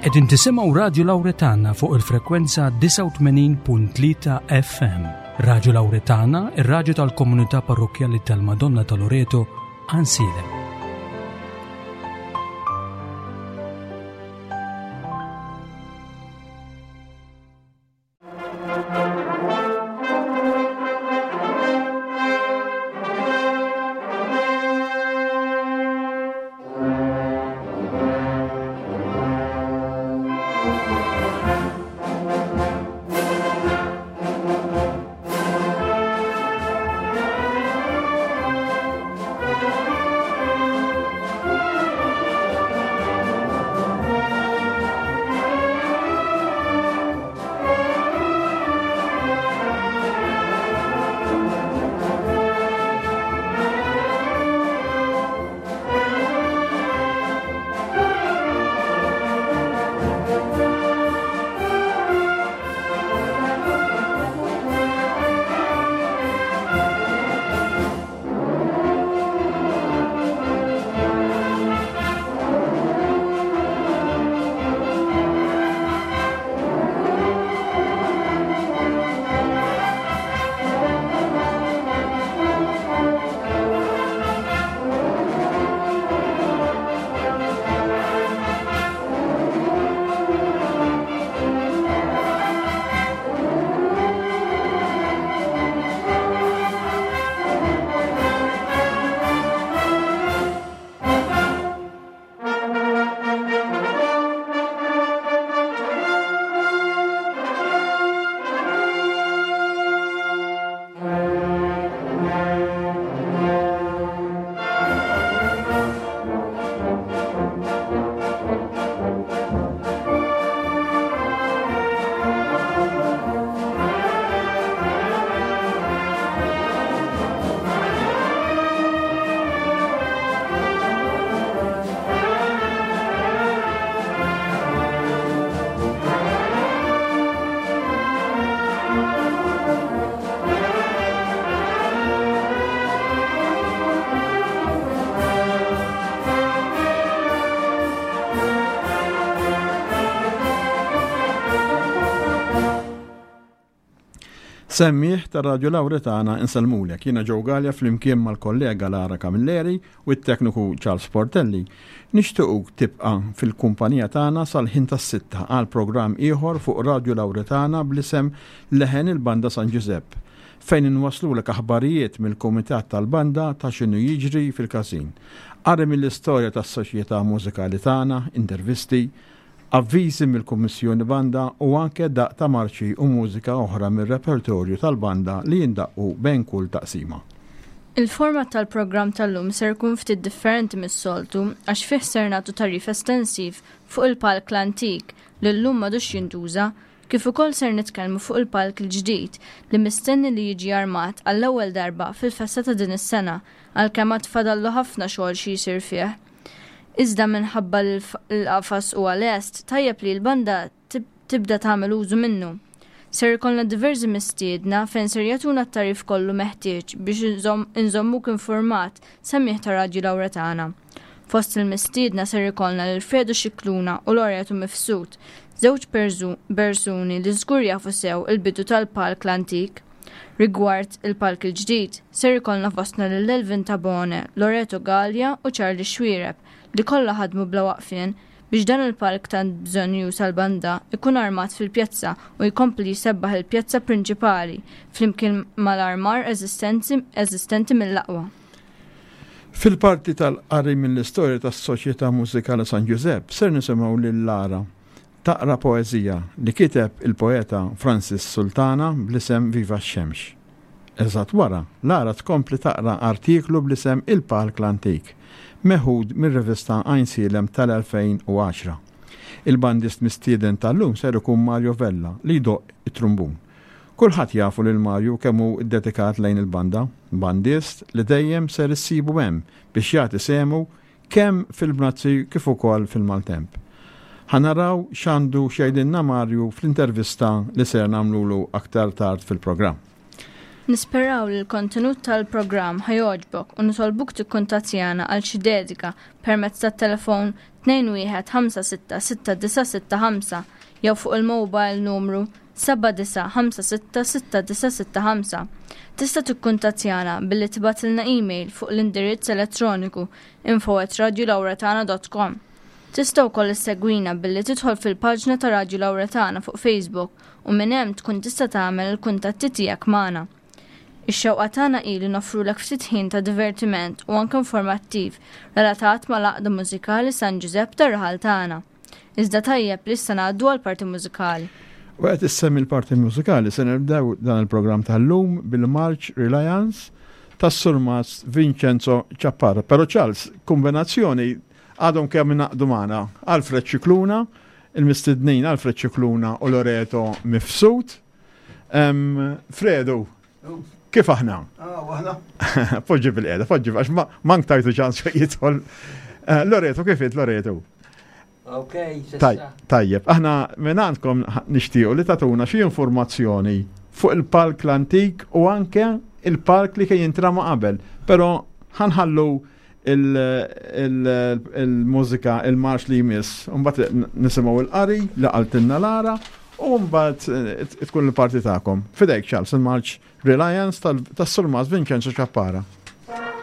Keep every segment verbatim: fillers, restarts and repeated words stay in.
Qegħdin tisimgħu Radju Lawretana fuq il-frekwenza disgħa u tmenin punt tlieta F M. Radju Lawretana, ir-radju tal-komunità parrokkjali tal-Madonna ta' Loreto, Għajnsielem. Semmiegħa ta' Radio Lawretana, insellmulek. Jiena Joe Galea flimkien mal-kollega Lara Camilleri u t-tekniku Charles Portelli. Nixtiequk tibqa' fil-kumpanija tagħna sal-ħin tas-sitta għal programm ieħor fuq Radio Lawretana bl-isem Leħen il-Banda San Giuseppe, fejn inwaslulek aħbarijiet mill-Kumitat tal-Banda ta' x'inhu jiġri fil-każin. Qari mill-istorja tas-soċjetà mużikali tagħna, intervisti, avviżi mill-Kummissjoni Banda u anke daqq ta' marċi u mużika oħra mir-repertorju tal-banda li jindaqqu bejn kull taqsima. Il-format tal-programm tal-lum ser ikun ftit differenti mis-soltu, għax fih ser nagħtu tagħrif estensiv fuq il-palk l-antik li llum m'għadux jintuża, kif ukoll ser nitkellmu fuq il-palk il-ġdid li mistenni li jiġi armat għall-ewwel darba fil-festa ta' din is-sena, għalkemm għad fadallu ħafna xogħol xi jsir fih. Iżda minħabba li l-qafas huwa lest, tajjeb li l-banda tibda tagħmel użu minnu. Ser ikollna diversi mistiedna fejn ser jagħtuna t-tagħrif kollu meħtieġ biex inżommuk informat, semmiegħa ta' Radju Lawretana. Fost il-mistiedna ser ikollna lil Fredu Xikluna u Loreto Mifsud, żewġ persuni li żgur jafu sew il-bidu tal-palk l-antik. Rigward il-palk il-ġdid, ser ikollna fostna lil Elvin Tabone, Loreto Galea u Charlie Xuereb, li kollha ħadmu bla waqfien biex dan il-palk tant bżonnjuż għall-banda ikun armat fil-pjazza u jkompli jsebbaħ il-pjazza prinċipali flimkien mal-armar eżistenti mill-aqwa. Fil-parti tal-qari mill-istorja tas-Soċjetà Mużikali San Giuseppe ser nisimgħu lil Lara taqra poeżija li kiteb il-poeta Francis Sultana bl-isem Viva x-Xemx. Eżatt wara, Lara tkompli taqra artiklu bl-isem Il-Palk l-Antik, meħud mir-rivista Għajnsielem tal-elfejn u għaxra. Il-bandist mistieden tal-lum ser ikun Mario Vella li jdoqq it-trumbun. Kulħadd jafu lil Mario kemm hu dedikat lejn il-banda, bandist li dejjem ser issibu hemm biex jagħti sehmu kemm fil-bnazzi kif ukoll fil-maltemp. Ħa naraw x'għandu x'jgħidilna Mario fl-intervista li ser nagħmlulu aktar tard fil-programm. Nisperaw li l-kontenut tal-programm ħa jogħġbok u nitolbuk tikkuntattjana għal xi dedika permezz tat-telefon tnejn wieħed ħamsa sitta sitta disa' sitta ħamsa jew fuq il-mobile numru seba' disa' ħamsa sitta sitta disa' sitta ħamsa. Tista' tikkuntattjana billi tibgħatilna email fuq l-indirizz elettroniku info at radiolauretana dot com. Tista' wkoll issegwina billi tidħol fil-paġna ta' Radio Lauretana fuq Facebook u minn hemm tkun tista' tagħmel il-kuntatti tiegħek magħna. Ix-xewqa tagħna hi li noffrulek ftit ħin ta' divertiment u anke informattiv relatat mal-għaqda mużikali San Ġużepp tar-raħal tagħna. Iżda tajjeb li issa ngħaddu għall-parti mużikali. U qed issemmi l-parti mużikali se nibdew dan il-programm tal-lum bil-March Reliance tas-Surmas Vincenzo Ciappara. Però Charles, kombinazzjoni għadhom kemm ingħaqdu magħna Alfred Scicluna, il-mistednin Alfred Scicluna u Loreto Mifsud. Em, Fredu, kif aħna? Ah, aħna. Poġġi bil-qiegħda, poġġi għax ma-, mank tajtu ċans fejn jidħol. Eh, Loreto, kif int, Loreto? Ok, s'issa. Taj-, tajjeb, aħna minn għandkom nixtiequ li tatuna xi informazzjoni fuq il-palk l-antik u anke il-palk li kien jintrama qabel. Però ħanħallu il-, il-, il-mużika, il-marx li jmiss, u mbagħad nisimgħu il-qari li qaltilna Lara u mbagħad, eh, tkun il-parti tagħkom. Fidejk Charles, il-marx Reliance tal-, tas-Surmas Vincenzo Ciappara. Thank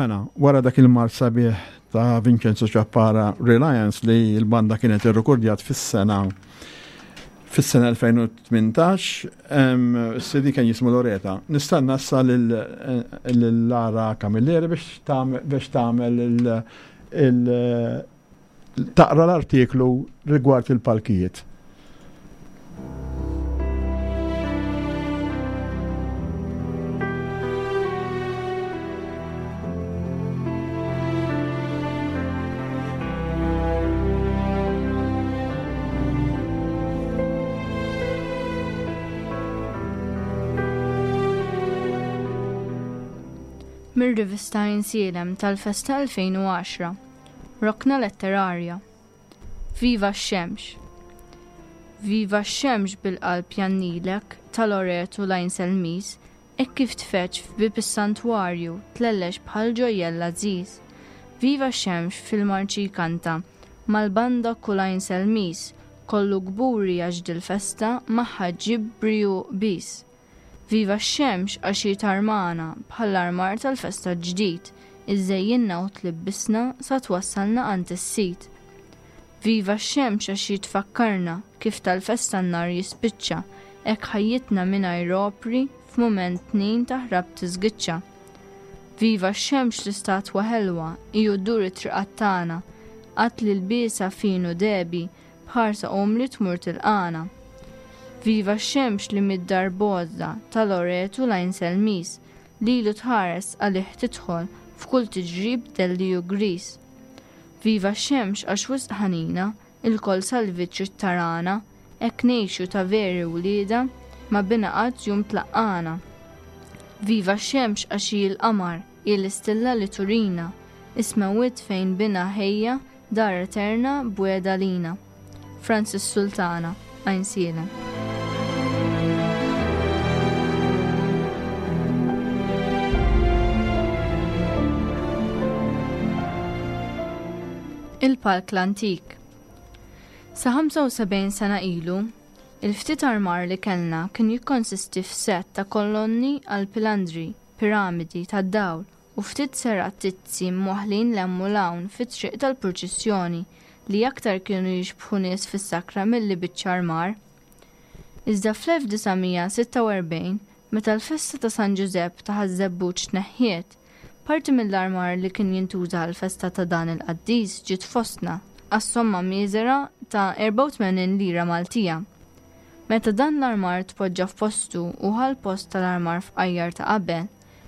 Mela, wara dak il-marċ sabiħ ta' Vincenzo Ciappara Reliance li l-banda kienet irrekordjat fis-sena fis-sena elfejn u tmintax, C D kien jismu Loreta. Nistenna issa lil Lara Camilleri biex tagħmel il taqra l-artiklu rigward il-palkijiet. Mir-rivista Għajnsielem tal-Festa elfejn u għaxra. Rokna Letterarja. Viva x-xemx! Viva x-xemx bil-qalb jgħannilek ta' Loretu l-Għajnselmiż, hekk kif tfeġġ f'bieb is-santwarju tlellex bħal ġojjell għażiż. Viva x-xemx fil-marċi jkanta mal-banda kull Għajnselmiż, kollu kburi għax dil-festa magħha ġġib briju bis. Viva x-xemx għax hi tarmana bħall-armar tal-festa ġdid, iżżejjinna u tlibbisna sa twassalna għand is-sit. Viva x-xemx għax hi tfakkarna kif tal-festa n-nar jispiċċa, hekk ħajjitna mingħajr opri f'mument tnejn taħrab tiżgiċċa. Viva x-xemx l-istatwa ħelwa iju ddur it-triqat tagħna, qatt li l-biesa finu debi bħarsa umli tmur tilqana. Viva x-xemx li mid-dar bozza ta' Loretu l-Għajnselmiż, lilu tħares għalih tidħol f'kull tiġrib delli u gris. Viva x-xemx għax wisq ħanina, ilkoll salvi trid tarana, hekk ngħixu ta' veri wlieda ma bina qatt jum tlaqqana. Viva x-xemx għax hi l-qamar, hi l-istilla li turina, is-smewwiet fejn bina ħejja dar eterna bweda lina. Francis Sultana, Għajnsielem. Il-Palk l-Antik. Sa ħamsa u sebgħin sena ilu, il-ftit armar li kellna kien jikkonsisti f'set ta' kolonni għal pilandri, piramidi tad-dawl u ftit serattizzi mwaħlin 'l hemm u 'l hawn fit-triq tal-purċissjoni li aktar kienu jixbħu nies fis-sakra milli biċċa armar. Iżda fl-elf disa' mija sitta u erbgħin, meta l-festa ta' San Ġużepp ta' Ħaż-Żebbuġ tneħħiet, parti mill-armar li kien jintuża għal-festa ta' dan il-qaddis ġiet fostna għas-somma miżera ta' erbgħa u tmenin lira Maltija. Meta dan l-armar tpoġġa f'postu u ħa l-post tal-armar fqajjar ta' qabel,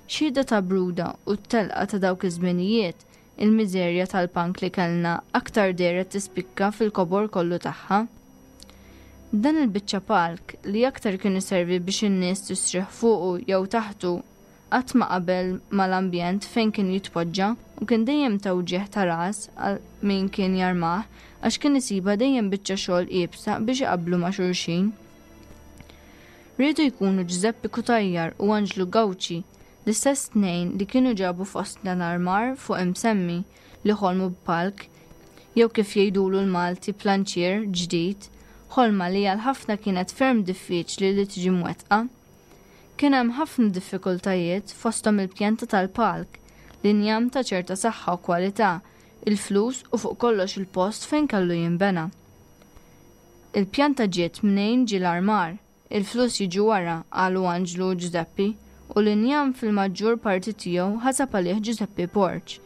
xhieda ta' bruda u t-telqa ta' dawk iż-żminijiet, il-miżerja tal-pank li kellna aktar dehret tispikka fil-kobor kollu tagħha. Dan il-biċċa palk li aktar kien iservi biex in-nies tistrieħ fuqu jew taħtu qatt ma qabel mal-ambjent fejn kien jitpoġġa u kien dejjem ta' wġigħ ta' ras għal min kien jarmah għax kien isibha dejjem biċċa xogħol iebsa biex iqablu ma' xulxin. Riedu jkunu Ġużeppi Cutajar u Anġlu Gawċi, l-istess tnejn li kienu ġabu fostna l-armar fuq imsemmi, li ħolmu b'palk, jew kif jgħidulu l-Malti planċier ġdid, ħolma li għal ħafna kienet ferm diffiċli li tiġi mwettqa. Kien hemm ħafna diffikultajiet, fosthom il-pjanta tal-palk, l-injam ta' ċerta saħħa u kwalità, il-flus u fuq kollox il-post fejn kellu jinbena. Il-pjanta ġiet mnejn ġie l-armar, il-flus jiġu wara, qalu Anġlu u Ġużeppi, u l-injam fil-maġġur parti tiegħu ħasab għalih Ġużeppi Porċ,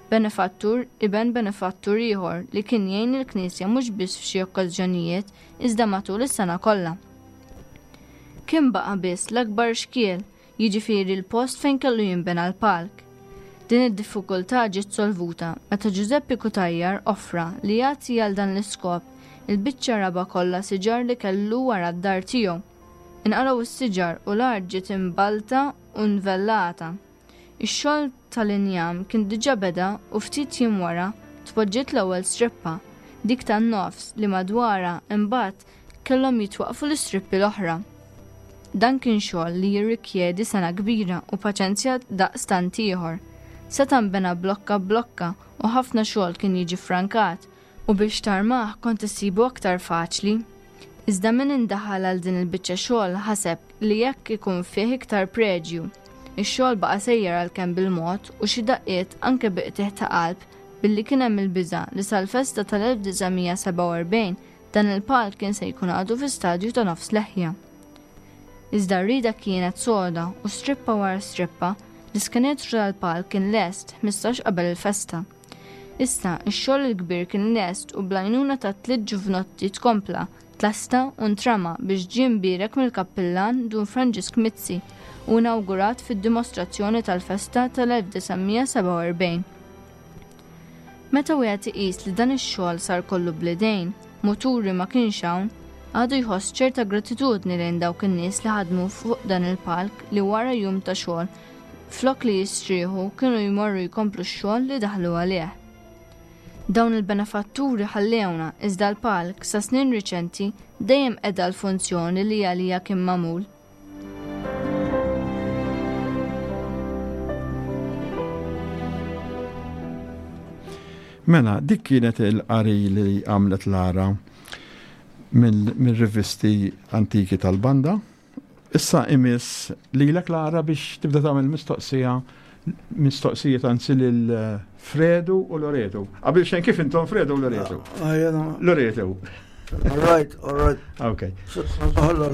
benefattur iben benefattur ieħor li kien jgħin il-Knisja mhux biss f'xi okkażjonijiet iżda matul is-sena kollha. Kien baqa' biss l-akbar xkiel, jiġifieri l-post fejn kellu jinbena l-palk. Din id-diffikultà ġiet solvuta meta Ġużeppi Cutajar offra li jagħti għal dan l-iskop il-biċċa raba kollha siġar li kellu wara d-dar tiegħu. Inqalgħu s-siġar u l-art ġiet imbalta u nvellata. Ix-xogħol tal-injam kien diġà beda u ftit jiem wara tpoġġiet l-ewwel strippa, dik tan-nofs li madwarha imbagħad kellhom jitwaqfu l-istrippi l-oħra. Dan kien xogħol li jirrikjedi sengħa kbira u paċenzja daqstant ieħor. Seta' nbena blokka blokka u ħafna xogħol kien jiġi frankat u biex tarmah kont issibu aktar faċli. Iżda min indaħal għal din il-biċċa xogħol ħaseb li jekk ikun fih iktar preġju. Ix-xogħol baqa' sejjer għalkemm bil-mod u xi daqqiet anke bi qtigħ ta' qalb billi kien hemm il-biża' li sal-festa tal-elf disa' mija sebgħa u erbgħin dan il-palk kien se jkun għadu fi stadju ta' nofs leħja. Iżda r-rida kienet soda u strippa wara strippa l-iskenetru tal-palk kien lest ħmistax qabel il-festa. Issa, ix-xogħol il-kbir kien lest u bl-għajnuna ta' tliet ġuvnotti tkompla, tlesta u ntrama biex ġie mbierek mill-kappillan Dun Franġisk Mizzi u inawgurat fid-dimostrazzjoni tal-festa tal-elf disa' mija sebgħa u erbgħin. Meta wieħed iqis li dan ix-xogħol sar kollu bl-idejn, muturi ma kienx hawn, għadu jħoss ċerta gratitudni lejn dawk in-nies li ħadmu fuq dan il-palk li wara jum ta' xogħol flok li jistrieħu kienu jmorru jkomplu x-xogħol li daħlu għalih. Dawn il-benefatturi ħallewna iżda l-palk sa snin riċenti dejjem qeda l-funzjoni li għalija kien magħmul. Mela, dik kienet il-qari li għamlet Lara mill-rivisti antiki tal-banda. Issa imiss lilek Lara biex tibda tagħmel mistoqsija, mistoqsijiet anzi lil Fredu u Loreto. Qabel xejn kif intom Fredu u Loreto? Ah, jena. Loreto. All right, all right. Ok.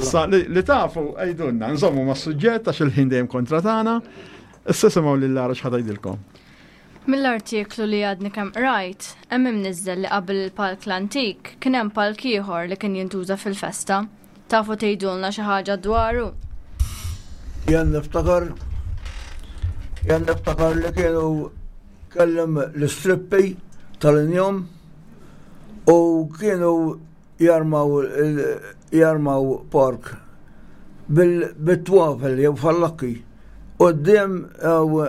Sa li, li tafu għajdunna, nżommu ma' suġġett għax il-ħin dejjem kontra tagħna. Issa semgħu lil Lara x'ħad jgħidilkom. Mill-artiklu li għadni kemm qrajt, hemm imniżżel li qabel il-palk l-antik kien hemm palk ieħor li kien jintuża fil-festa. Tafu tgħidulna xi ħaġa dwaru? Jien niftakar, jien niftakar li kienu kellem l-istrippi tal-injom u kienu jarmaw il-, jarmaw park bil-, bit-twafel jew fallakki quddiem, jew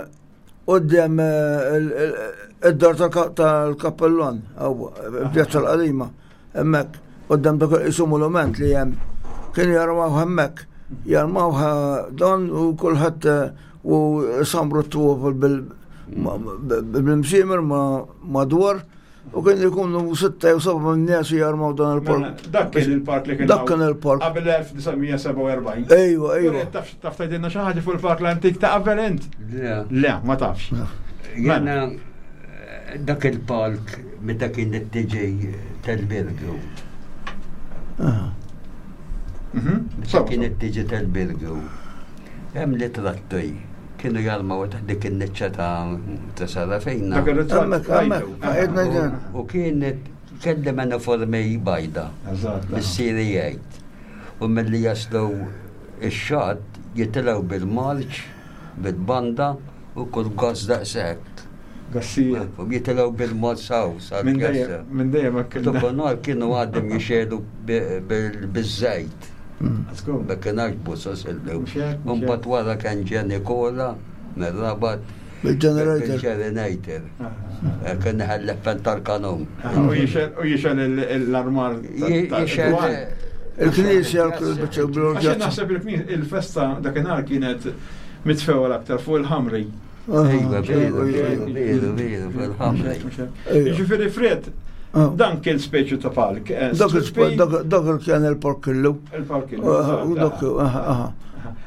quddiem, eh, il-, il-, id-dar tal-ka-, tal-kappellon, jew pjazza l-qadima, hemmhekk quddiem dak isu monument li hemm. Kienu jarmaw hemmhekk, jarmaw dan u kulħadd, eh, u samru t-twafel bil-, ma-, bil-msimer ma-, madwar u kien ikunu sitta jew seba' minn nies jarmaw dan il-park. Mela, dak kien il-park li kien Dak kien il-park. Qabel elf disa' mija sebgħa u erbgħin. Ejwa, ejwa. Uri, taf, taf tgħidilna xi ħaġa fuq il-park l-antik ta' qabel int? Le. Le, ma tafx. Le. Jiena dak il-park meta kien it-tiġi tal-Birgu. Ah. Mhm. Meta kien it-tiġi tal-Birgu. Hemm li trattu kienu jarmaw taħt dik in-niċċa ta', ta' Sarafina. Dak ir-ritratt Hemmhekk, hemmhekk, rajtu. għedna ġen. U kienet kellem uniformi bajda. Eżatt. Missieri jgħid. U milli jaslu ix-xatt jitilgħu bil-marċ, bil-banda u kull gass daqshekk. Gassijiet. U jitilgħu bil-marċ saw, sal Minn dejjem, pjazza. minn dejjem hekk U dakinhar kienu għadhom jixegħlu bi-, bil-, biż-żejt. Let's go. Ma kienx busos illum. Mhux hekk, mhux Mbagħad hekk. wara kien ġie Nikola mir-Rabat Bil-generator. Bil-generator. Eh, kien ħallef tal-kanun. Ah, u jixel, u jixel il-, l-armar ta-, Ji-, ta' jixel dwar. Il-knisja, il-biċċa bil-orġazza. Għax naħseb il-knis-, il-festa dakinhar kienet mitfewwa l-aktar fuq il-ħamri. Ah, Ejwa, veru, ejwa, veru, ejwa. veru, veru, fuq il-ħamri. Ejwa. Jiġifieri Fred, Ah. dan kien speċi ta' palk, eh, Dak il-sp-, strippi. dak, dak il kien il-park illu. Il-park illu, Ah, eżatt, u dak, ah. ah, ah.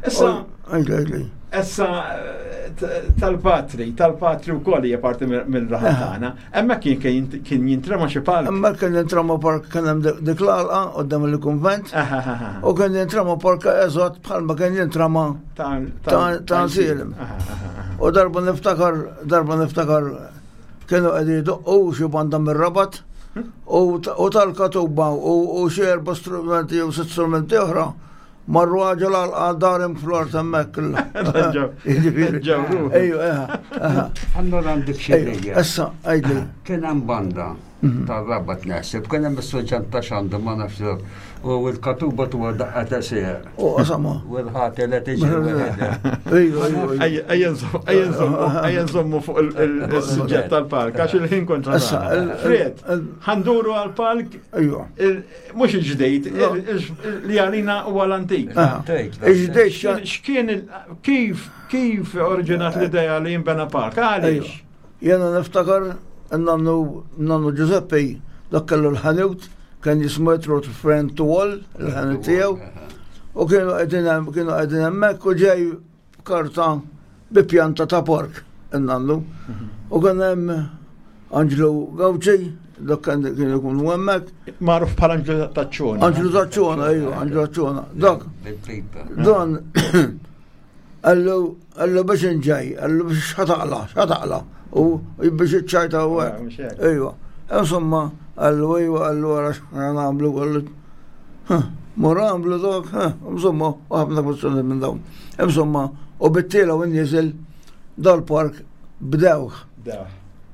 Issa, Oh, għajli, għajli. issa, eh, t-, tal-patri, tal-patri wkoll hija parti mill-, mill-raħal Ah. tagħna. Hemmhekk kien, kien, kien jintrema xi palk. Hemmhekk kien jintrema park, kien hemm dik, dik l-għalqa quddiem il-kunvent. Ah, ah, ah, ah. U kien jintrema park eżatt bħalma kien jintrema Ta', ta', ta' Nsielem. Ah, ah, ah, ah. U darba niftakar, darba niftakar kienu qegħdin jdoqqu xi banda mir-Rabat u ta-, u tal-katuba u, u xi erba' strumenti u sitt strumenti oħra marru għaġel għal darim fl-art hemmhekk. Ġew. Jiġifieri. Ġew ruħu. Ejju, eħa, eħa. Allora għandek xi Ejju, idea. issa, għidli. Kien hemm banda tar-Rabat naħseb, kien hemm is-surġant ta' xandu ma nafx u l-katuba tuwa daqqa ta' seħer. U qasama. U l-ħati li tiġi waħedha. Ejju, ejju, ejju. Ejja, ejja nżommu, ejja nżommu, ejja nżommu fuq il-, il-, il-suġġett tal-park, għax il-ħin kontra Issa, tagħna. il-, il-, Fred, il-, ħanduru għal-park, Ejju. il-, mhux il-ġdejt, No. il-, il-, li għalina huwa l-antik. Aha. L-antik, Il-ġdejt xa- X'kien il-, kif, kif oriġinat l-idea li jinbena park? Għaliex? Ejju. Jena niftakar nannu, nannu Giuseppe, dak kellu l-ħanut, kien jismu Trot Friend to All, il-ħanut tiegħu. U kienu qegħdin hemm, kienu qegħdin hemmhekk u ġej karta bi pjanta ta' pork in-nannu. U kien hemm Anġlu Gawċi, dak kien kien ikun hemmhekk. Magħruf bħala Anġlu Taċċona. Anġlu Taċċona, ejju, Anġlu Taċċona. Dak, Bil-pipa. dan għallu għallu biex inġej, għallu biex xataqla, xataqla. U biex iċċajta u Ah, hekk. mhux hekk. Ejwa. Insomma, għallu ejwa, għallu għara x'ħana nagħmlu, għallu. Mor għamlu dak, insomma, u ħafna kwestjoni minn dawn. Insomma, u bit-tiela u n-niżel dal-park bdewh. Da.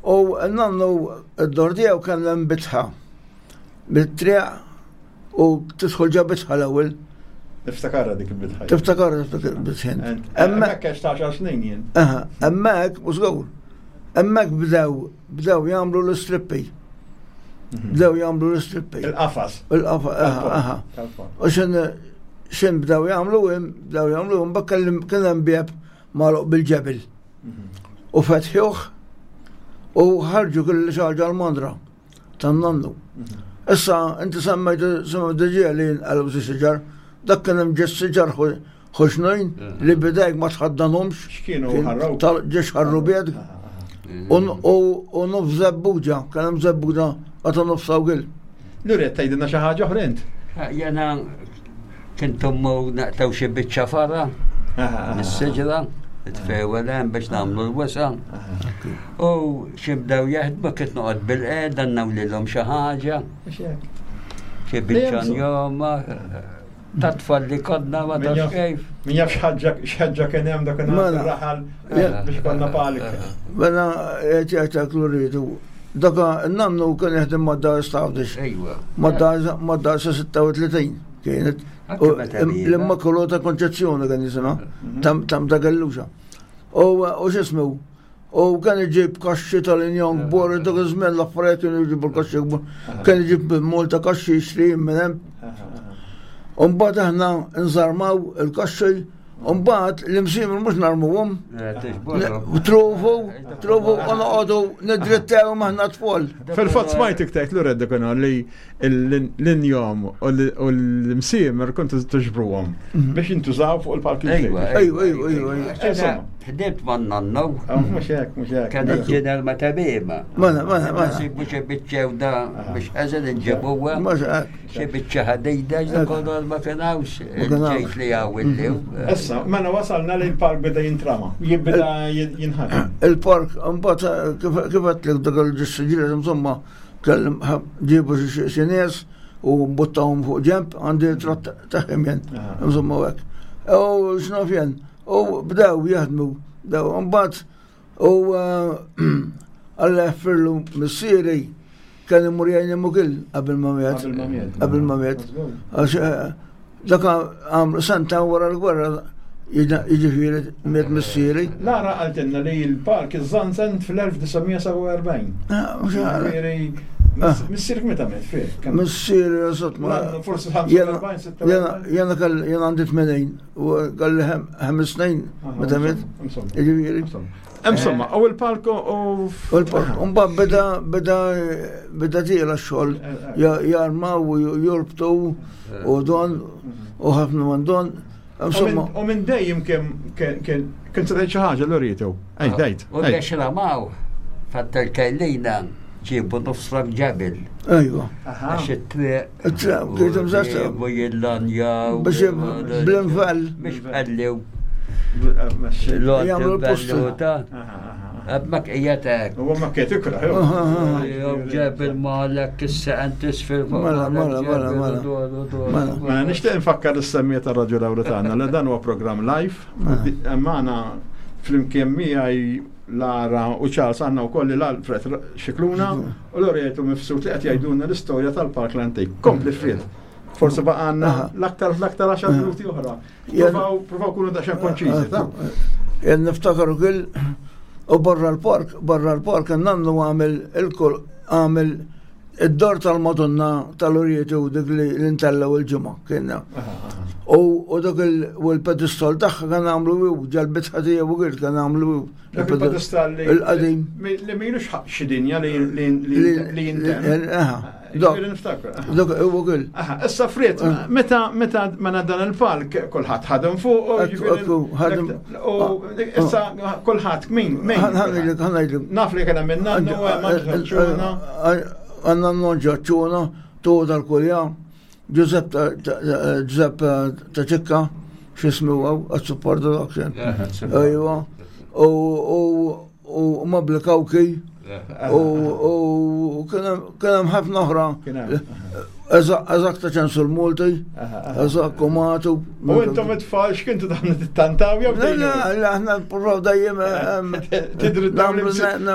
U nannu id-dor tiegħu kien hemm bitħa. Bit-triq u tidħol ġa bitħa l-ewwel. Niftakarha dik il-bitħa. Tiftakar tiftakar bitħin. Hemmhekk għax ta' għaxar snin jien. Aha, hemmhekk u żgur. Hemmhekk bdew bdew jagħmlu l-istrippi. Bdew jagħmlu l-istrippi. Il-qafas. Il-qafa, aha, aha. Tal-park. U xin xin bdew jagħmlu hemm, bdew jagħmlu hemm bakk kien hemm bieb magħluq bil-ġebel. U fetħuh u ħarġu kull xi ħaġa l-mandra tan-nannu. Issa inti semmejt semmejt diġà li nqalbu xi siġar, dak kien hemm ġes siġar ħoxnojn li bidejk ma tħaddanhomx. X'kienu Kien ħarrub? tal- Ġiex ħarrubiet. U u nofs żebbuġa, kien hemm żebbuġa għata nofs awgil. Luret tgħidilna xi ħaġa oħra int. Jena kintum naqtaw xi biċċa fara mis-siġra, tfewel hemm biex nagħmlu l-wisa. U xi bdew jaħdmu kif noqgħod bil-qiegħda nagħmlilhom xi ħaġa, Mhux hekk. xi biċċa njoma, ta' tfal li konna ma Min tafx jaf- kif. Min jaf x'ħaġa x'ħaġa kien hemm dak Mela. ir-raħal biex konna palik. Mela qed rridu. Daka n-nannu kien jaħdem mad-dar Stavdix. Ejwa. Mad-dar sa sitta u tletin kienet. Anke U meta bira. L-Immakulata Konċezzjoni kien jisimha, tam tam ta' Galluxa. U u x'ismu? U kien iġib kaxxi tal-injon kbar, dak iż-żmien l-affarijiet kienu jġibu l-kaxxi kbar. Kien iġib Malta kaxxi jixtri minn hemm. U mbagħad aħna nżarmaw il-kaxxi, u mbagħad l-imsiemel mhux narmuhom. Trufu, trufu, u noqogħdu nidrittew maħna tfal. Fil-fatt smajtek tgħid Luret dak li l-injom u l-imsiemer kontu tiġbruhom biex jintużaw fuq il-park Ejwa, Ejwa, ejwa, ejwa, ejwa. Ġena, Ħdimt ma' nannu, Mhux hekk, mhux hekk. kien il-ġener ma' tabima. Mela, mela, mela. Nsibu xi biċċa da biex ħażen inġibuha. Mhux hekk. Xi biċċa ħadida ġda ma kienawx. kienawx. Ġejt li għaw illi. Issa, mela wasalna li l-park beda jintrama, jibda jinħadem. Il-park, mbagħad kif kif għedtlek dak il-ġissiġri, insomma, kellim ġibu xi xi nies u buttawhom fuq ġemp għandi tratt tagħhom jien, insomma u hekk. U x'naf jien, u bdew jaħdmu, bdew mbagħad u Alla jaħfirlu missieri kien imur jgħin ukoll qabel ma miet. Qabel ma miet. Qabel ma miet. Għax eh, dak għamlu senta wara l-gwerra jiġifieri miet missieri. Lara qaltilna li l-park iżżanzen fl-elf disa' mija sebgħa u erbgħin. Ah, mhux għara. Ġifieri, Ah. Missierek meta miet fih? Kemm- Missieri eżatt ma. Forsi Jena ħamsa u erbgħin, jena jena kell jena għandi tmenin u kelli ħames snin meta miet. Insomma. Jiġifieri. Insomma, u il-park u. U l-park, mbagħad beda beda beda tiela x-xogħol ja- jarmaw u jorbtu u don u ħafna minn don. Insomma, U minn dejjem kien kien kien se tgħid xi ħaġa l-Lorito. Ej, dejt. U biex ramaw, fattal kajlina ġibu nofsrak ġabel. ejwa. Għax it-triq. It-triq, kienet imżassra. U jillanjaw. Biex bl-infell. Biex bħallew. Jagħmlu l-postu. Għabmak ijatek. U ma kiet ikra. Jew ġebel malek issa tisfir. Mela, mela, mela, mela. Mela. Mela nixtieq nfakkar is-semmija tar-Raġu Lawretana li dan huwa programm live. Magħna flimkien miegħi Lara u Charles għandna wkoll l-Alfred Xikluna u Loreto Mifsud li qed jgħidulna l-istorja tal-Park l-Antik. Kompli Fred. Forsi baqa' għandna l-aktar l-aktar għaxar minuti oħra. Provaw provaw kunu daqsxejn konċiżi, ta' Jien niftakar ukoll u barra l-park, barra l-park nannu għamel il-kol għamel id-dor tal-Madonna tal-Orietu dik li l-intellaw il-ġimgħa kienna. U u dak il- u l-pedestal tagħha kien għamlu u ġal-bitħa tiegħu ukoll kien għamlu Dak il-pedestal li il-qadim. li milux xi dinja li li li jintem. Aha. Ġifieri niftakru. Dak huwa kien. Aha, issa Fred, meta meta mela dan il-palk kulħadd ħadem fuq, Ekku, ekku, ħadem. U issa kulħadd min min. Ħa ngħidlek, ħa ngħidlek. Naf li kien hemm in-nannu, hemm ċuna. Għandna n-nonġa ċuna, tu tal-kulja, Giuseppe Giuseppe ta' ċikka, x'ismu għaw, għad-supportu dak kien. Ejwa, u u u Mabli Kawki, u u kien hemm ħafna oħra. Kien hemm. Eżatt ta' ċensu l-Multi, eżatt Komatu. U intom it-tfal x'kintu taħna tittantaw jew Le, le, le, aħna nipprovaw dejjem Tidrittaw l-imsiem.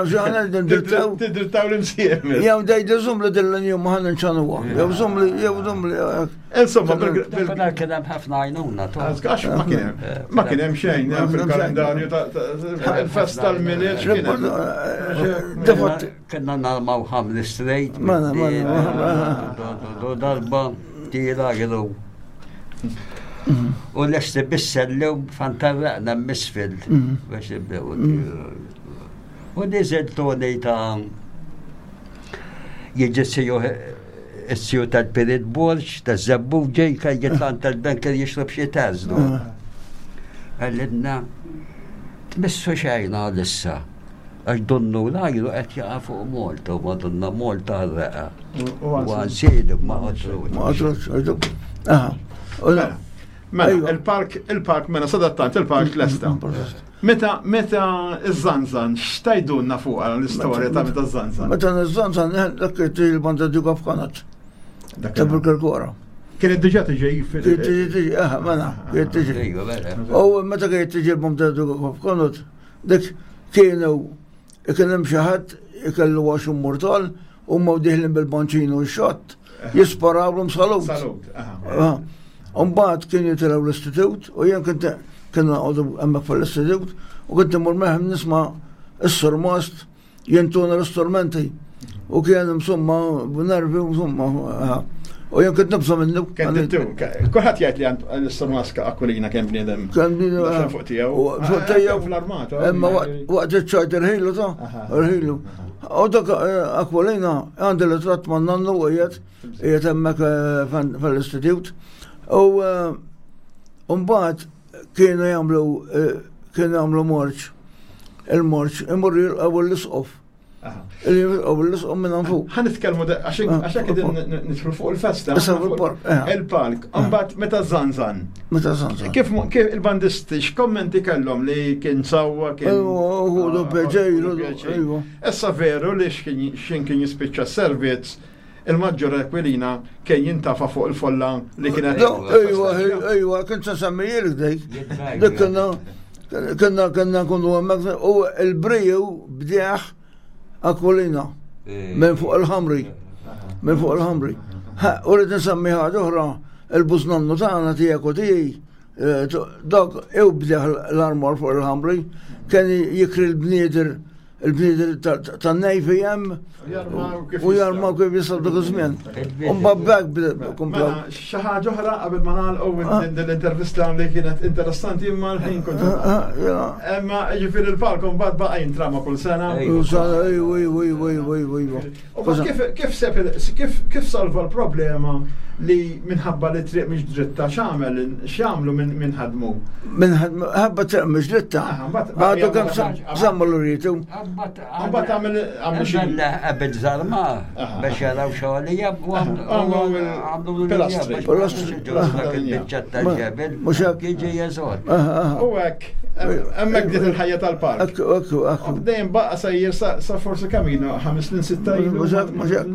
Tidrittaw l-imsiem. Jew dej żum li dil-linju ma ħan nċanuha. Jew żum li, jew żum li. Insomma, bil- bil- Dak kien hemm ħafna għajnuna. tu. Għax ma kien hemm ma kien hemm xejn hemm fil-kalendarju ta' ta' il-festa tal-Milied x'kien hemm. Defatti. Kena narmaw ħamli straight. Mela, mela, Do darba tira għidu. U l-esti bissellu fantarraqna misfil. Biex nibdew. U nizel Tony ta' jiġi siju s-siju tal-Pirit Borġ, ta' Zabbu ġej, kaj jitlan tal-banker jixrob xie tażdu. Għallinna, tmissu xejna għalissa. Għax donnu l-ajru qed jaqa' fuq Malta, u madonna Malta għarraqa. U għansidu ma għotru. Ma għatrux, għatrux. Aha. U la- Mela, Ejwa. il-park, il-park, mela, sadattant, il-park lesta. Meta, meta iż-żanżan, x'tajdunna fuq l-istorja ta' meta iż-żanżan? Meta nizzanzan, dak il-banda Duke of Connaught, Dak ta' Bil-Kirkora. Kienet diġà tiġi fil- Kienet tiġi, tiġi, aha, mela, kienet tiġi. Ejwa, mela. U meta kienet tiġi l-banda Duke of Connaught, dik kienu, kien hemm xi ħadd ikellu għaxu mortal, u ma diħlin bil-banċinu x-xott, jisparawlhom salut. Salut. aha. Umbagħad kien jitilgħu l-istitut u jien kont kienu noqogħdu hemmhekk fl-istitut u kont immur meħem nisma' s-surmast jintuna l-istrumenti u kien insomma b'nervi insomma aha. U jien kont nibża' minnu. Kien dittu, kulħadd jgħid li għand l-istormaska Aquilina kien bniedem. Kien bniedem, Daxxan ah. fuq tiegħu. U fuq Ah, tiegħu. Fl-armata. Imma waqt waqt iċ-ċajt irħilu ta' Aha. irħilu. U dak eh, Aquilina għandi l-tratt ma' nannu u qiegħed qiegħed hemmhekk eh, fan- fl-istitut. U eh, mbagħad kienu jagħmlu eh, kienu jagħmlu marċ. Il-marċ imorru jilqgħu l-isqof. Aha. Jilqgħu l-isqof minn fuq. Ħa nitkellmu da- għax Ah, għax hekk qegħdin nidħlu fuq il-festa. Issa fuq il-park, eh. Il-park. Imbagħad meta żanżan. Meta sanza. Kif kif il-bandisti x'kommenti kellhom li kien sawwa kien. Ejwa, ħudu pjaċir, ħudu pjaċir. ejwa. Issa veru li x'kien x'in kien jispiċċa s-servizz il-Maġġor Aquilina kien jintafa fuq il-folla li kienet. Ejwa, ejwa, kien se semmijilek dik. Dik konna konna konna nkunu hemmhekk u il-briju bdieħ Aquilina minn fuq il-ħamri. Minn fuq il-ħamri. Ha, U rrid nsemmi ħaġa oħra, il-bużnannu tagħna tiegħek u tiegħi, eh, dak ew bdieħ l-armor fuq il-ħamri, kien jikri l-bnieder il-bnieder tan-nejfi hemm Jarmaw kif u jarmaw kif jistgħu dak iż-żmien. U mbagħad komplew. Mela, xi ħaġa oħra qabel ma nagħlqu Ah. din l-intervista li kienet interessanti imma l-ħin kont. Ah, ah, Imma ġifieri il-park mbagħad baqa' jintrama kull sena. Ejwa, ejwa, ejwa, ejwa, ejwa. U bas kif kif sep- kif kif salva l-problema li minħabba li triq mhix dritta x'għamel x'għamlu minn minn ħadmu. Minn ħabba triq mhux dritta. Aha, mbagħad- Għadu kemm sammu l-rritu. Mbagħad għamel għamlu xi Bella qabel żarma Aha. biex jaraw xogħolija u Għamlu il- għamlu pilastri. Pilastri. Dak il-biċċa tal-ġebel. Mhux hekk. Jiġi jeżor. U hekk hemmhekk bdiet il-ħajja tal-park. Ekku, ekku, ekku. Dejjem baqa' sejjer sa sa forsi kamino ħames snin sitta ilu. Mhux hekk, mhux hekk.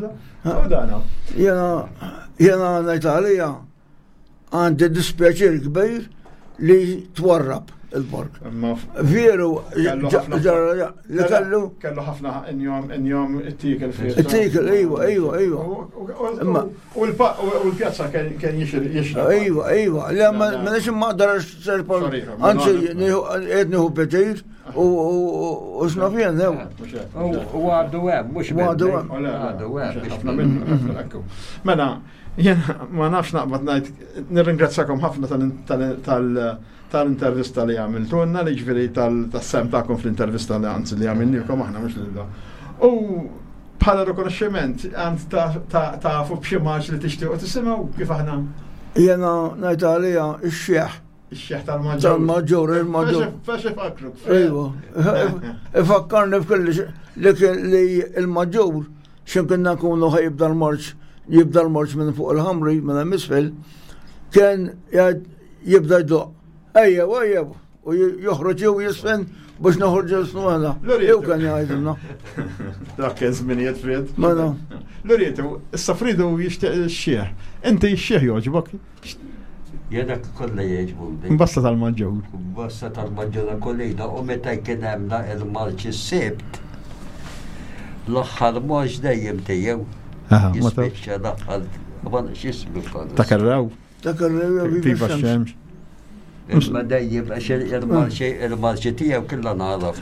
U dana. Jena, jena ngħid għalija għandi dispjaċir kbir li twarrab il-park. Imma f- Veru, Kellu ħafna- ġara li kellu Kellu ħafna injom injom it-tikel fih. it-tikel, ejwa, ejwa, ejwa. Imma- U l-pjazza kien kien jixraq. Ejwa, ejwa, le ma La, la. ma nix ma aqdarx serpol, Sorry, anzi, ma- qed nieħu pjaċir u u- u x'naf jien, ew. U għadu hemm, mhux U għadu minni. hemm. Għadu hemm. biex ħafna minnu, ħafna ekku. Mela, jena ma nafx naqbad ngħid, nirringrazzakom ħafna tal- tal- tal- tal-intervista li għamiltunna, li ġifieri tal-sem tagħkom fl-intervista li anzi li għamilnikom aħna mhux lil da. U Bħala rikonoxximent għand tafu b'xi marċ li tixtiequ tisimgħu kif aħna? Jena ngħid għalija x-xieħ. Ix-xieħ tal-maġġur. Tal-maġġur, il-maġġur. Fex ifakruk. Ejwa. Ifakkarni f'kelli li kien li il-maġġur x'in kienna nkunu ħa jibda l-marċ, jibda l-marċ minn fuq il-ħamri, minn hemm isfel, kien jibda jdoq. Ejja, ejja, u joħroġ u jisfen biex noħorġu l-snu għana. Jew kan jgħidilna. Dak kien żminijiet Fred. Mela. Lurietu, issa Fridu jixtieq ix-xieħ. Inti x-xieħ jogħġbok? Jena kollha jogħġbuni. Basta tal-maġġur. Basta tal-maġġur kollha u meta kien hemm il-marċ is-Sibt. L-aħħar marċ dejjem tiegħu. Jispiċċa l-aħħar ma x'ismu Ta' Karraw. Ta' Karraw. Viva x-xemx. Imma dejjem għax il-marċi il-marċi tiegħu kollha nagħraf.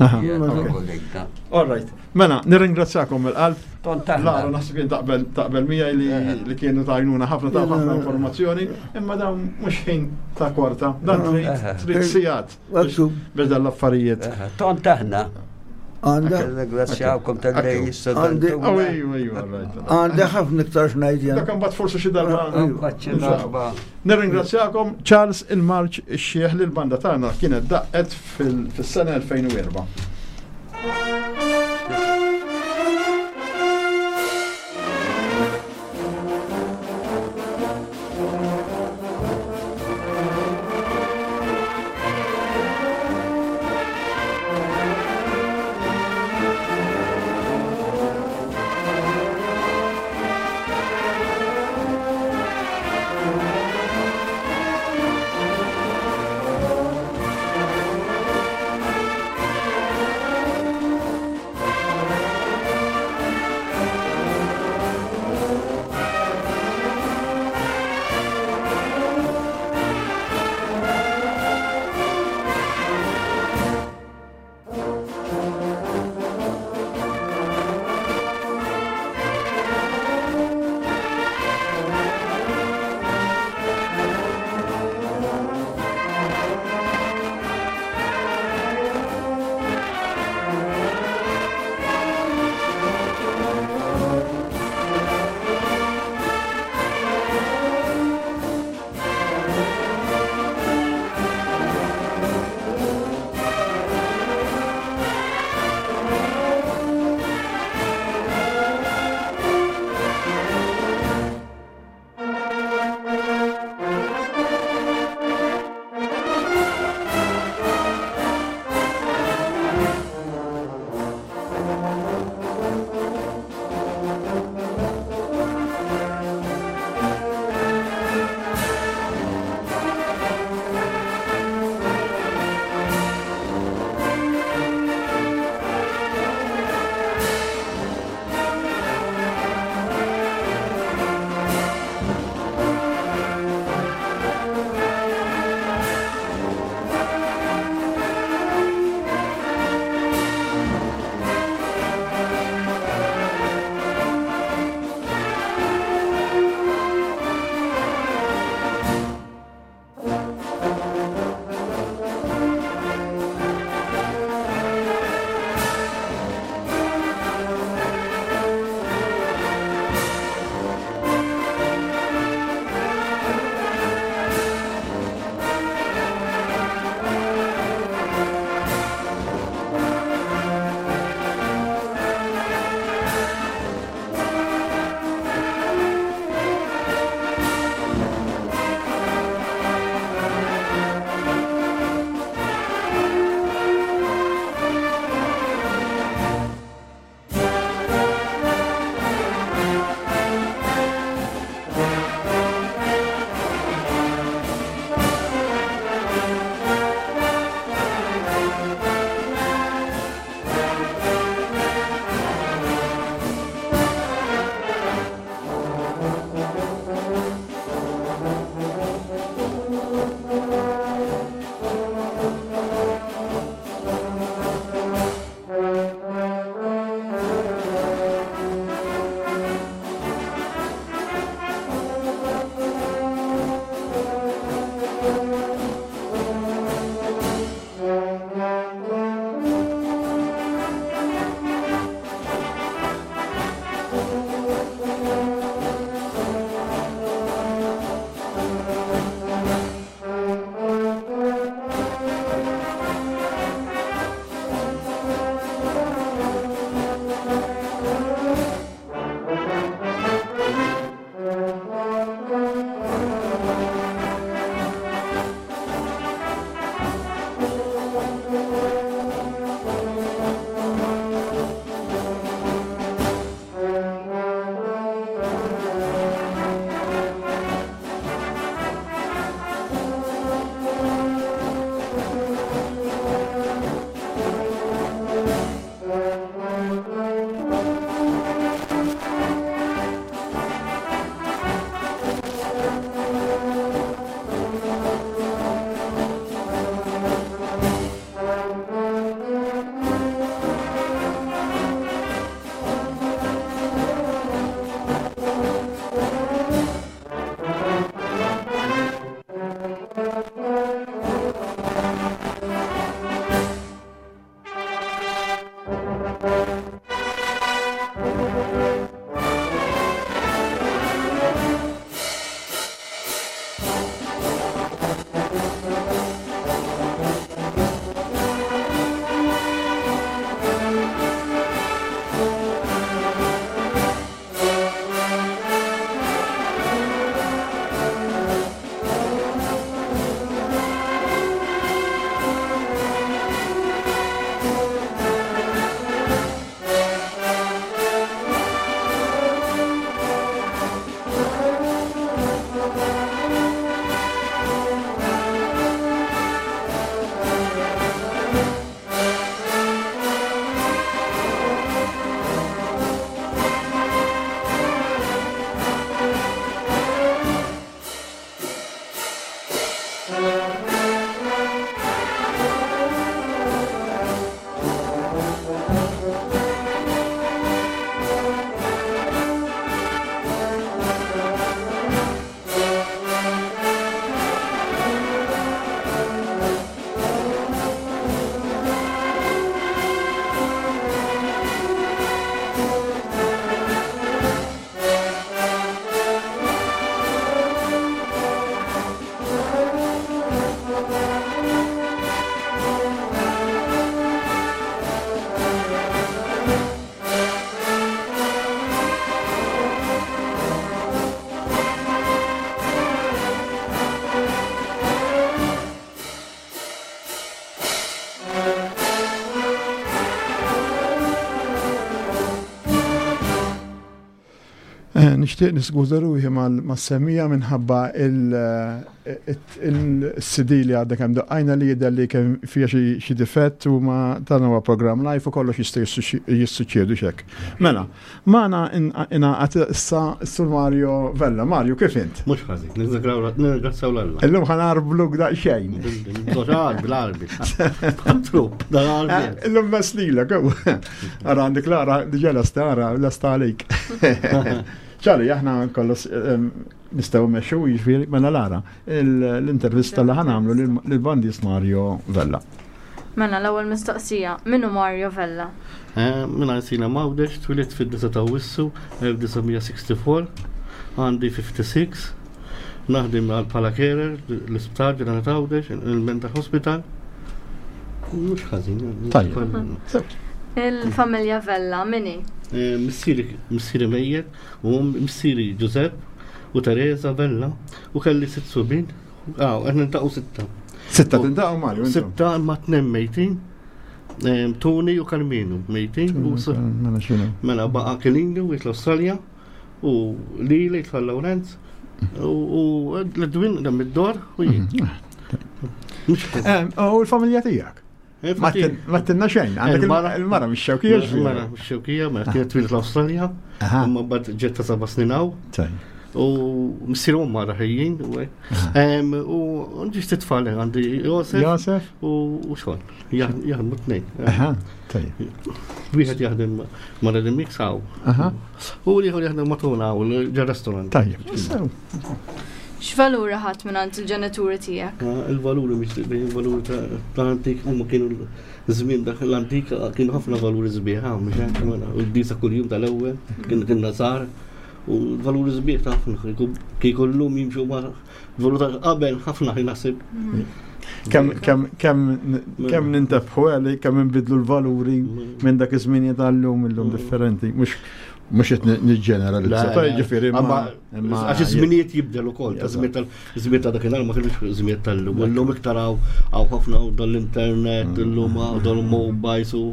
All right. Mela, nirringrazzjakom mill-qalb. Lara, naħseb jien taqbel taqbel miegħi li li kienu tajnuna ħafna ta' ħafna informazzjoni, imma dan mhux ħin ta' kwarta, dan trid trid sigħat biex dan l-affarijiet. Tont aħna. Għanda. Ringrazzjawkom tal-li Għandi. Għandi ħafna iktar x'ngħid jien. Dak imbagħad forsi xi darba. Nirringrazzjakom Charles il-Marċ ix-xieħ li l-banda tagħna kienet daqqet fis-sena elfejn u erba'. Nixtieq niskuża ruħi mas-semmiegħa minħabba il-C D li għadda kemm daqqajna li jidher li kemm fija xi difett u ma dan huwa programm live u kollox jista' jissuċċedu xek. Mela, magħna ingħaqad issa s-Sur Mario Vella. Mario, kif int? Mhux ħażin, nirringrazzjaw 'l Alla. Illum ħa nagħrbluk daqsxejn. Bil-Għarbi, trupp, dal-Għarbi. Illum meslilek, Ara għandek Lara, diġà lesta, ara, lesta għalik. Ċari, aħna kollox nistgħu mmexxu, jiġifieri, mela Lara, l-intervista li ħa nagħmlu lill-bandist Mario Vella. Mela, l-ewwel mistoqsija, min hu Mario Vella? Minn Għajnsielem Għawdex, twelidt fid-disgħa ta' Awwissu elf disa' mija sittaħax u sittin, għandi ħamsa u sittin, naħdem għal bħala carer l-Isptar Ġenerali Għawdex, il-Mental Hospital. Mhux ħażin. Tajjeb. Il-familja Vella, min hi? Missieri missieri mejjet u missieri Giuseppe u Teresa Vella u kelli sitt subien. Ah, aħna niltaqgħu sitta. Sitta tiltaqgħu, Mario? Intom? Sitta ma tnejn mejtin. Em, Tony u Carminu mejtin u s- Mela xinu. Mela baqa Kelini u l-Australja u Lili jitfa Lawrenz u u l-Edwin dam id-dor u jien. Mhux ħażin. Em, U l-familja tiegħek? Eh, Ma fati- tin- Ma tinna xejn, għandek Il-mara- il-mara mix-Xewkija ġifieri. Mara mix-Xewkija, mela kienet twieldet l-Awstralja, Aha. imma bad ġetta seba' snin hawn. Tajjeb. U missier u mara ħejjin u hekk. Em, U għandi ftit tfal għandi Josef Josef? u u xogħol. Jaħdmu tnejn. Aha, tajjeb. Wieħed jaħdem ma' Mix hawn. Aha, U l-ieħor jaħdem ma' Tuna hawn, ġo restaurant. tajjeb. Sew. X'valuri ħadt minn il-ġenituri tiegħek? Ah, il-valuri mhix il-valuri ta' tal-antik huma kienu żmien dak l-antik kienu ħafna valuri sbieħ hawn mhux hekk mela, u d-disa kuljum tal-ewwel kien kien nasar u l-valuri sbieħ ta' ħafna kieku llum jimxu ma' valuri ta' qabel ħafna naħseb. Kemm kemm kemm kemm nintebħu għali kemm nbidlu l-valuri minn dak iż-żmien tal-lum illum differenti. Mhux mhux qed niġġeneralizza. Le, le. Ġifieri Amma imma għax iż-żminijiet jibdel ukoll, ta' Eżatt. żmien tal-żmien ta' dakinhar ma kienux żmien tal-lum. Illum iktar hawn hawn ħafna hawn dal-internet, illum hawn dal-mobiles u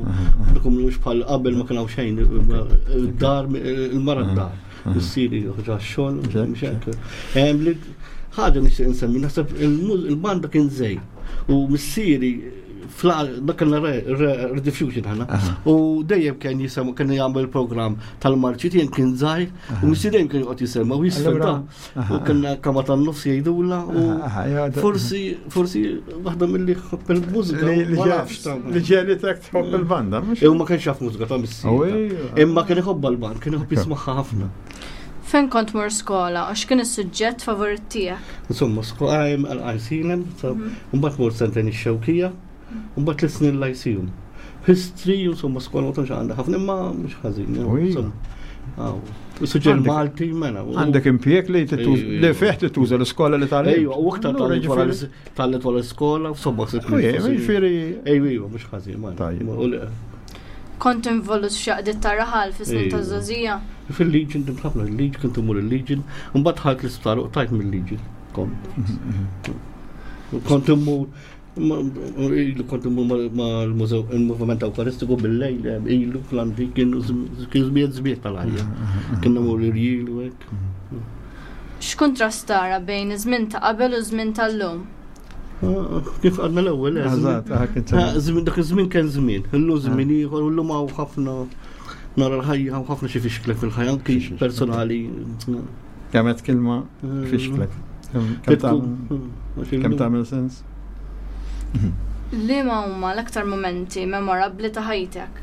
dak mhux bħal qabel ma kien hawn xejn. Il-dar, il-mara d-dar. Missieri joħroġ għax-xogħol, mhux hekk. Em, li- Ħaġa nixtieq insemmi, naħseb il-muż- il-banda kien żej u missieri dak kellna rediffusion ħana. U dejjem kien jisema kien jagħmel program tal-marċi jien kien żgħir u missieri dejjem kien joqgħod jisema u jisfilta. U kellna kama tan-nofs jgħidula u forsi forsi waħda milli ħobb il-mużika. Li ma nafx ta' li ġiegħlitek tħobb il-banda, mhux? Imma kienx jaf mużika ta' missieri. Imma kien iħobb l-band, kien iħobb jismagħha ħafna. Fejn kont tmur skola u x'kien is-suġġett favorit tiegħek? Insomma, skola għal Għajnsielem, mbagħad mort sentejn ix-Xewkija, mbagħad tliet snin Lyceum. History, insomma, skola ma tantx għandha ħafna, imma mhux ħażin. Ui. Suġġer Malti, mela. Għandek impjieg li tittuż- Ejju, li ejju. fih tituża l-iskola li tal Ejju, u aktar tgħallimt wara l-iskola, insomma, Ġifieri. Ejju, ejju, mhux ħażin, ma. Tajjeb. U le- Kont involut f'xi għaqdiet tar-raħal fis-snin Ejju. ta' żgħożija? Fil-Legion, dimt ħafna il-Legion, kont imur il-Legion, mbagħad dħalt l-isptar u qtajt mill-Legion. Kont. Kont immur ma- ilu kont immur ma' l-mużew il-Moviment Ewkaristiku bil-lejl, ilu fl-antik kienu kien żmiet żmiet tal-ħajja. Kien immur l-irjil u hekk. X'kuntrast tara bejn iż-żmien ta' qabel u żmien tal-lum? Ah, kif għadna l-ewwel, eh, Eżatt, ah, kien Ah, żmien dak iż-żmien kien żmien, illum żmien ieħor, illum hawn ħafna nara l-ħajja hawn ħafna xi fixklek fil-ħajja anki personali. Kemm kelma fixklek. Kemm tagħmel kemm tagħmel sens? Liema huma l-aktar momenti memorabbli ta' ħajtek?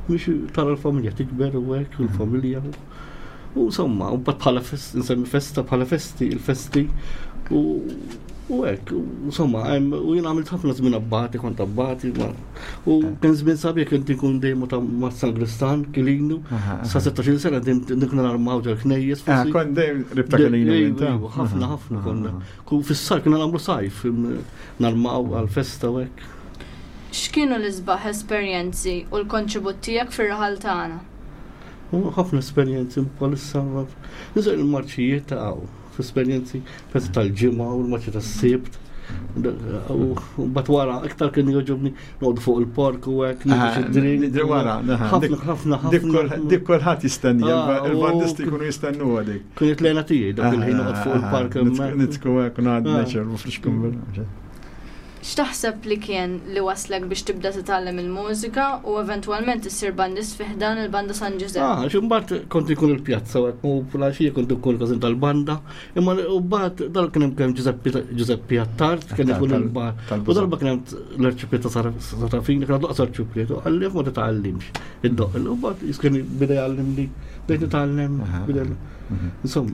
Mhux tara l-familja tikber u hekk, u l-familja. U insomma, u mbagħad bħala fest, nsemmi festa bħala festi, il-festi u u hekk, u insomma, hemm- u jien għamilt ħafna żmien abbati, kont abbati, ma- u kien żmien sabiħ kien ikun dejjem ta' ma' Sangristan, Kilinu, sa sittax-il sena dim dik narmaw ġol knejjes. Ah, forsi. kont dejjem qrib ta' Kelinu Ejju, int, ejju, ħafna, ħafna konna. Ku fis-sajf konna nagħmlu sajf, im- narmaw għal-festa u hekk. X'kienu l-isbaħ esperjenzi u l-kontribut tiegħek fir-raħal tagħna? U ħafna esperjenzi bħalissa. Nizaq il-marċijiet ta' għaw, esperjenzi festa tal-ġimgħa u l-marċi tas-sibt. U mbagħad wara iktar kien jogħġobni noqgħod fuq il-park u hekk nieħdu xi drink. Wara, Ħafna ħafna ħafna. Dik kulħadd jistenni, Ah, u- il-bandisti jkunu jistennu dik. Kienet lejna tiegħi dak il-ħin noqgħod fuq il-park hemmhekk. Nitku hekk ngħaddi Ah. nature u frisk X'taħseb li kien li waslek biex tibda titgħallem il-mużika u eventwalment issir bandist fi ħdan il-Banda San Ġużepp? Ah, għax imbagħad kont ikun il-pjazza u hekk, u filgħaxija kont ikun il-każin tal-banda, imma u mbagħad dal kien hemm kemm Giuseppe Giuseppe Attard kien ikun Tal- il-bar. tal-Buża. U darba kien hemm l-arċipriet ta' Sarafini, kien għadu arċipriet, u qalli ma titgħallimx id-doq. U mbagħad kien bida jgħallimni, bdejt nitgħallem, Aha. bida Insomma,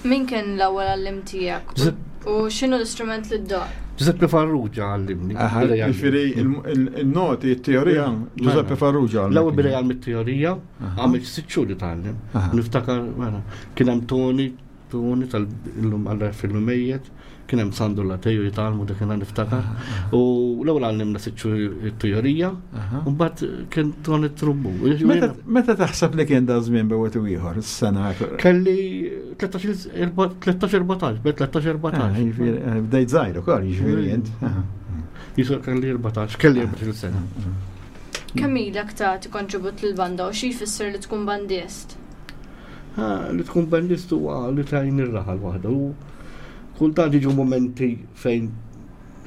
Min kien l-ewwel għallim tiegħek? Giuseppe- U x'inhu l-istrument li ddoqq? Giuseppe Farrugia għallimni. bida jgħallimni. Ġifieri il-noti, il-teorija, Giuseppe Farrugia. L-ewwel bida jgħallem it-teorija, għamil sitt xhur li tgħallem. Aha. Niftakar, mela, kien hemm Toni, Toni tal-illum għalla fil-mejjet, kien hemm Sandu Lateju jitgħallmu dak kien niftakar. U l-ewwel għallimna sitt xhur it-teorija, u mbagħad kien Toni trumbu. Meta meta taħseb li kien da żmien bewet u ieħor, is-sena. Kelli tlettax erbatax, bejn tlettax Ah, erbatax. jiġifieri, eh, Bdejt żgħir ukoll, jiġifieri int. Aha. Jisu kelli erbatax, kelli erbatax sena. Kemm ilek tagħti kontribut lill-banda u xi jfisser li tkun bandist? Ah, Li tkun bandist huwa li tajn ir-raħal waħda. U kultant jiġu momenti fejn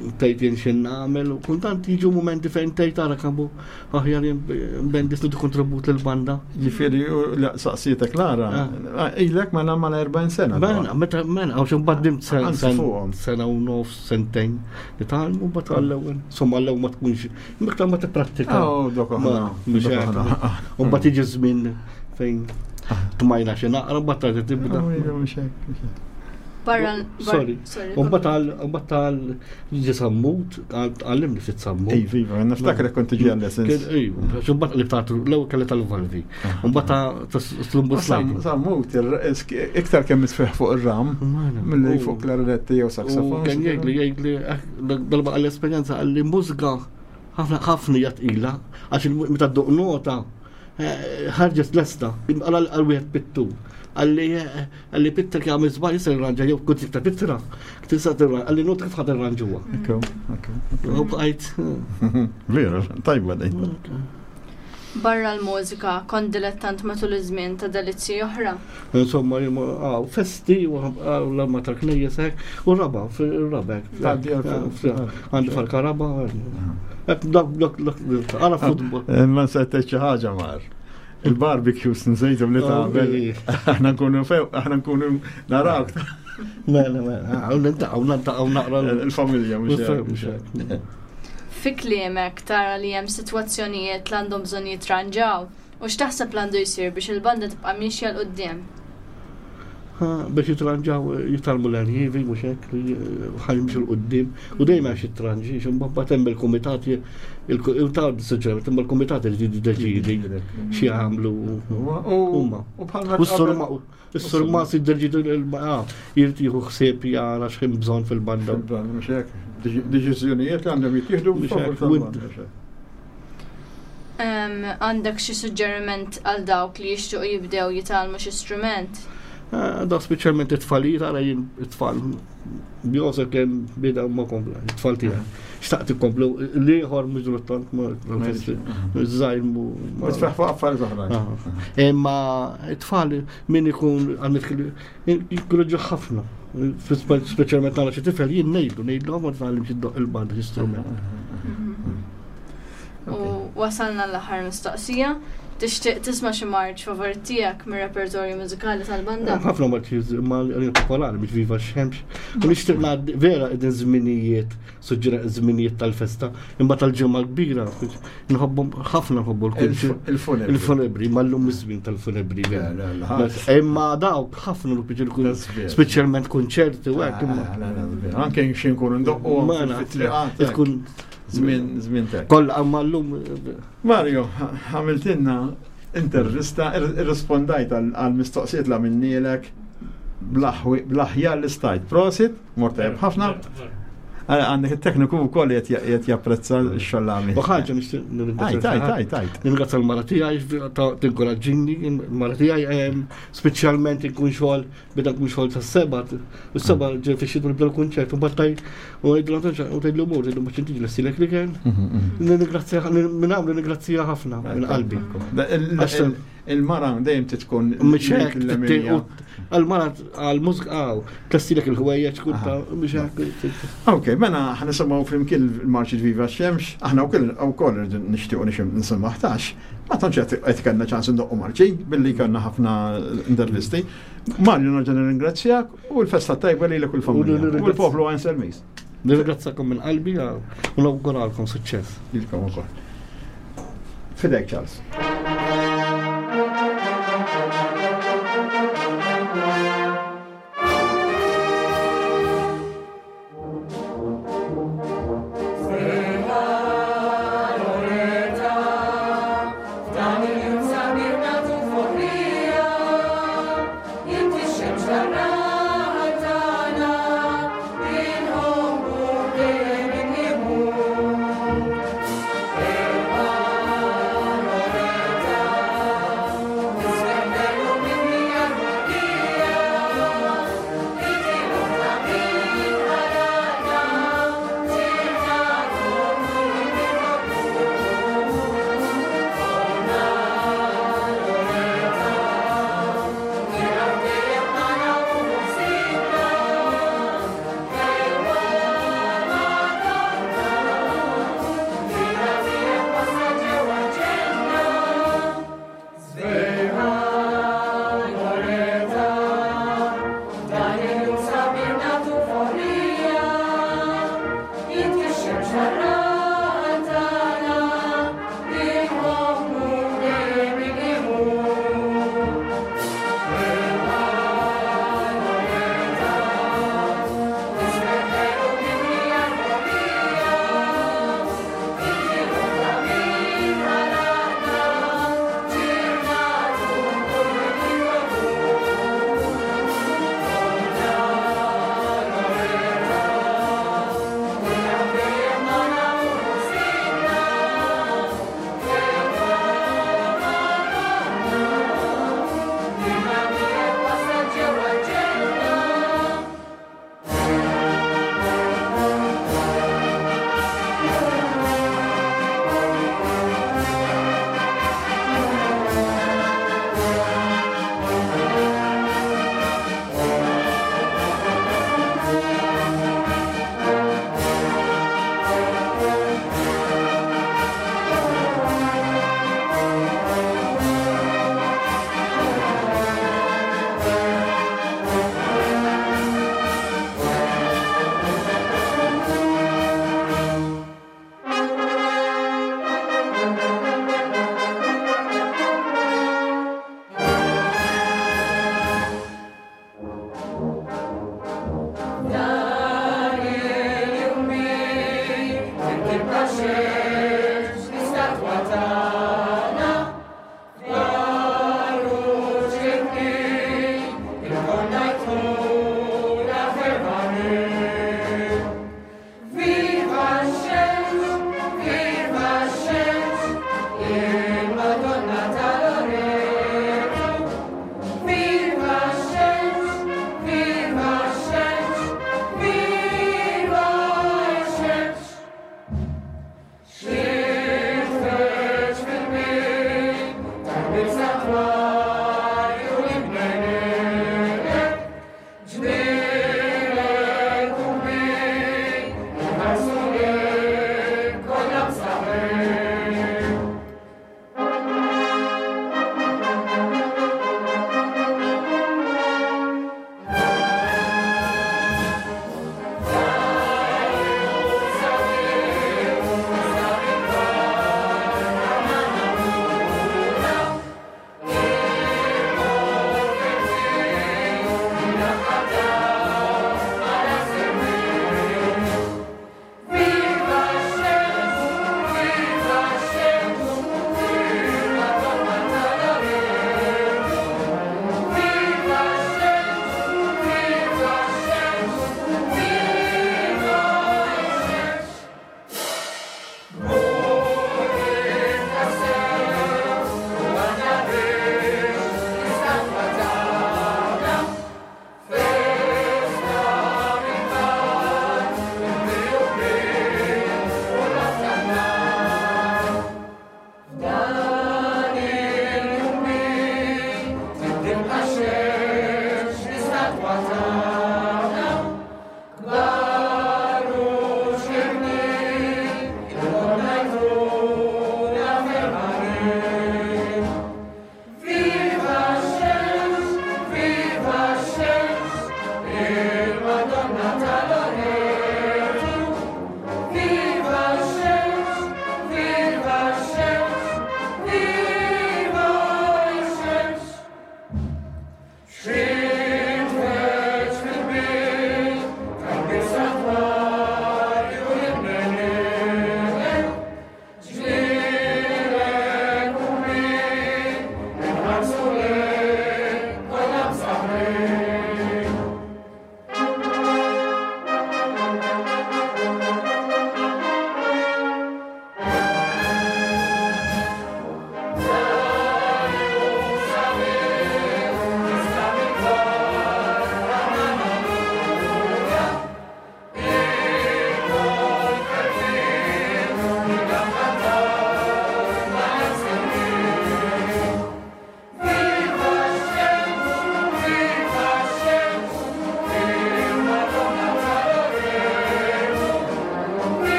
tgħid jien xi nagħmel u kultant jiġu momenti fejn tgħid ara kemm hu aħjar jien bandist nagħti kontribut lill-banda. Jiġifieri u la- saqsietek Lara, Ah. ilek ma mal erbgħin sena. Mela, meta mela, għax imbagħad dimt sen- Anzi, sen- fuqhom. sena u nofs, sentejn nitgħallmu mbagħad għall-ewwel. Insomma għall-ewwel ma tkunx, miktar ma tipprattika. Oh, dok Ma, aħna. mhux dok hekk. aħna. U mbagħad jiġi żmien fejn tmajna xi naqra mbagħad terġa' tibda. Oh, iva, mhux hekk, mhux hekk. Barra Sorry. sorry. U mbagħad għal mbagħad għal ġi sammut, għallimni ftit sammut. Iva, iva, niftakar kont tiġi għal-lessons. Ejju, għax imbagħad li tagħtu l-ewwel kelli tal-valvi. U mbagħad ta' slumbu slide. Sammut, iktar kemm isfeħ fuq ir-ram, milli fuq klarinetti jew U saksofon. kien jgħidli jgħidli eh, darba għall-esperjenza għalli mużika ħafna ħafna hija tqila għax il- meta dduq nota eh, ħarġet lesta għal għal wieħed pittu. Għalli eh, għalli pittra kien għamil żball jista' jirranġa jew kont tikta pittra tista' tirranġa għalli nota kif ħad irranġuha. Ekku, ekku. U bqajt eh, Veru, tajba dejn. Barra l-mużika kont dilettant matul iż-żmien ta' delizzji oħra. Insomma, għaw, festi, u l-arma tal-knejjes hekk, u raba, fil-raba hekk. Tgħaddi għal- Għandi fal-karaba, hekk, dak, dak, dak, għara futbol. Ma nsejt xi ħaġa mar. Il-barbecues nsejtu li tagħmel. Aħna nkunu few, aħna nkunu narawk Mela, mela, għaw nintaqaw, nintaqaw naqra. il-familja mhux hekk, mhux hekk. Fi kliemek tara li hemm sitwazzjonijiet li għandhom bżonn jitranġaw u x'taħseb li għandu jsir biex il-banda tibqa' miexja 'l quddiem. Biex jitranġaw, jitalmu l-arjivi, mux hekk, ħajmxu l-qoddim, u dejjem għax jitranġi, ximba hemm il-komitat, il-ta' suġġerament, imma l-komitat li jiddeċidi xi jagħmlu huma. U bħalma U s-surma, s-surma si jiddeċidu jrid jieħu ħsieb jara x'hemm bżonn fil-banda. Mhux hekk. Deċiżjonijiet li għandhom jittieħdu Mhux favur hekk, tal-banda, mhux hekk. Em, Għandek xi suġġeriment għal dawk li jixtiequ jibdew jitgħallmu xi strument? Ah, Da speċjalment it-tfalijiet, ara jien it-tfal Josef kien bida ma kompla, it-tfal tiegħi. Xtaqt ikomplu, l-ieħor mhux druttant ma żgħir mu. Ma tfeħ fuq affarijiet oħrajn. Ah. Imma it-tfal min ikun għandek jikkureġu ħafna. Speċjalment nara xi tifel jien ngħidlu, ngħidlu ma tgħallimx iddoq il-banda l-istrument. U wasalna l-aħħar mistoqsija. Tixtieq tisma' xi marċ favorit tiegħek mir-repertorju mużikali tal-banda? Ħafna marċi ma l popolari biex viva x-xemx. U nixtieq ngħaddi vera qegħdin żminijiet, suġġera żminijiet tal-festa, imma tal-ġimgħa kbira nħobbhom ħafna nħobbu l-kunċi. Il-funebri. Il-funebri, ma llum iż-żmien tal-funebri. Le, le, le, Imma dawk ħafna l-piġi Sbieħ. speċjalment konċerti u hekk imma. Ah, le, le, le, Anke xi nkunu ndoqqu Ma naf, fit-triqat. tkun Żmien żmien tek. kollha imma llum Mario, għamiltinna intervista, irrispondajt għal mistoqsijiet la minnielek bl-aħjar li stajt. Prosit, mort tajjeb ħafna. Għandek it-tekniku wkoll qed japprezza x-xogħol għamil. U ħaġa nixtieq nirringrazzja. Tajt, tajt. Nirringrazzja l-mara tiegħi tinkoraġġini, l-mara tiegħi speċjalment inkun xogħol beda nkun xogħol tas-seba', u s-seba' ġej fix-xitwa nibda l-kunċert u mbagħad taj u ngħidlu u tgħidlu mur, tgħidlu mhux inti ġlessilek li kien. Nirringrazzja minn hawn nirringrazzja ħafna minn qalbi. Il-mara dejjem tkun għal-mara għal-mużika għaw, tlestilek il-ħwejjeġ kun ta' biex hekk. Ok, mela ħa nisimgħu flimkien il-marċi Viva Xemx, aħna wkoll nixtiequ nisimgħu ħtax, ma tantx qed kellna ċans indoqqu marċi billi kellna ħafna intervisti. Mario nerġa' nirringrazzjak u l-festa tajba lilek u l-familja. U l-poplu għajn Selmis. Nirringrazzakom minn qalbi u nawguralkom suċċess. Lilkom ukoll. Fidek Charles. Amen.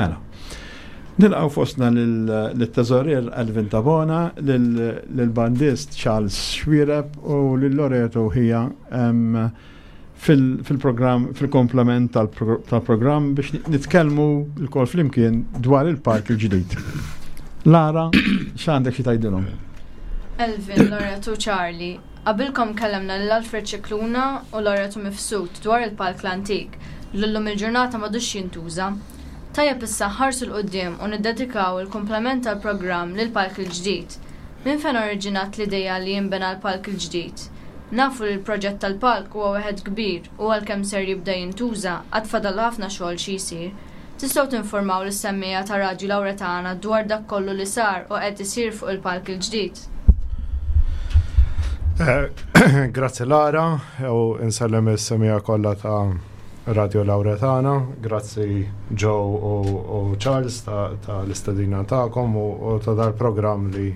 Mela. Nilqgħu fostna lit-teżorier Alvin Tabona, lill-bandist Charles Xuereb u lil Loreto ħija fil-programm, fil-komplement tal-programm biex nitkellmu lkoll flimkien dwar il-palk il-ġdid. Lara, x'għandek xi tgħidilhom? Elvin, Loreto, Charlie, qabilkom kellemna lil Alfred Scicluna u Loreto Mifsud dwar il-palk l-antik, l-lum il-ġurnata m'għadux jintuża. Tajjeb issa nħarsu 'l quddiem u niddedikaw il-komplement tal-programm lil palk il-ġdid. Minn fejn oriġinat l-ideja li jinbena l-palk il-ġdid? Nafu li l-proġett tal-palk huwa wieħed kbir u għalkemm ser jibda jintuża għad fadal ħafna xogħol xi jsir. Tistgħu tinformaw lis-semmiegħa ta' Radju Lawretana dwar dak kollu li sar u qed isir fuq il-palk il-ġdid. Eh, grazzi Lara, u insellem is-semmiegħa kollha ta' Radio Lauretana, grazzi Joe u, u Charles ta', ta l-istedina tagħkom u, u ta' dal-programm li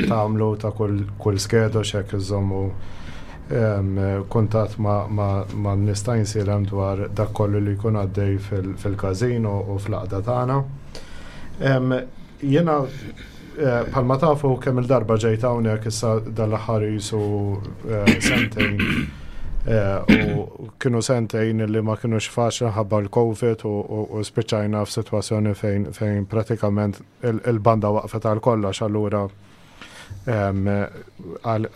tagħmlu ta' kull, kull skedo xek iżommu um, kuntatt ma', ma, ma nista' nsilem dwar dak kollu li jkun għaddej fil-każin u, u fl-għaqda tagħna. Um, Jiena eh, bħalma tafu kemm il-darba ġejt hawnhekk issa dal-aħħar jisu eh, sentejn eh, u kienu sentejn li ma kienux faċli ħabba l-Covid u, u, u spiċċajna f'sitwazzjoni fejn, fejn pratikament il-banda waqfet għal kollox, allura għal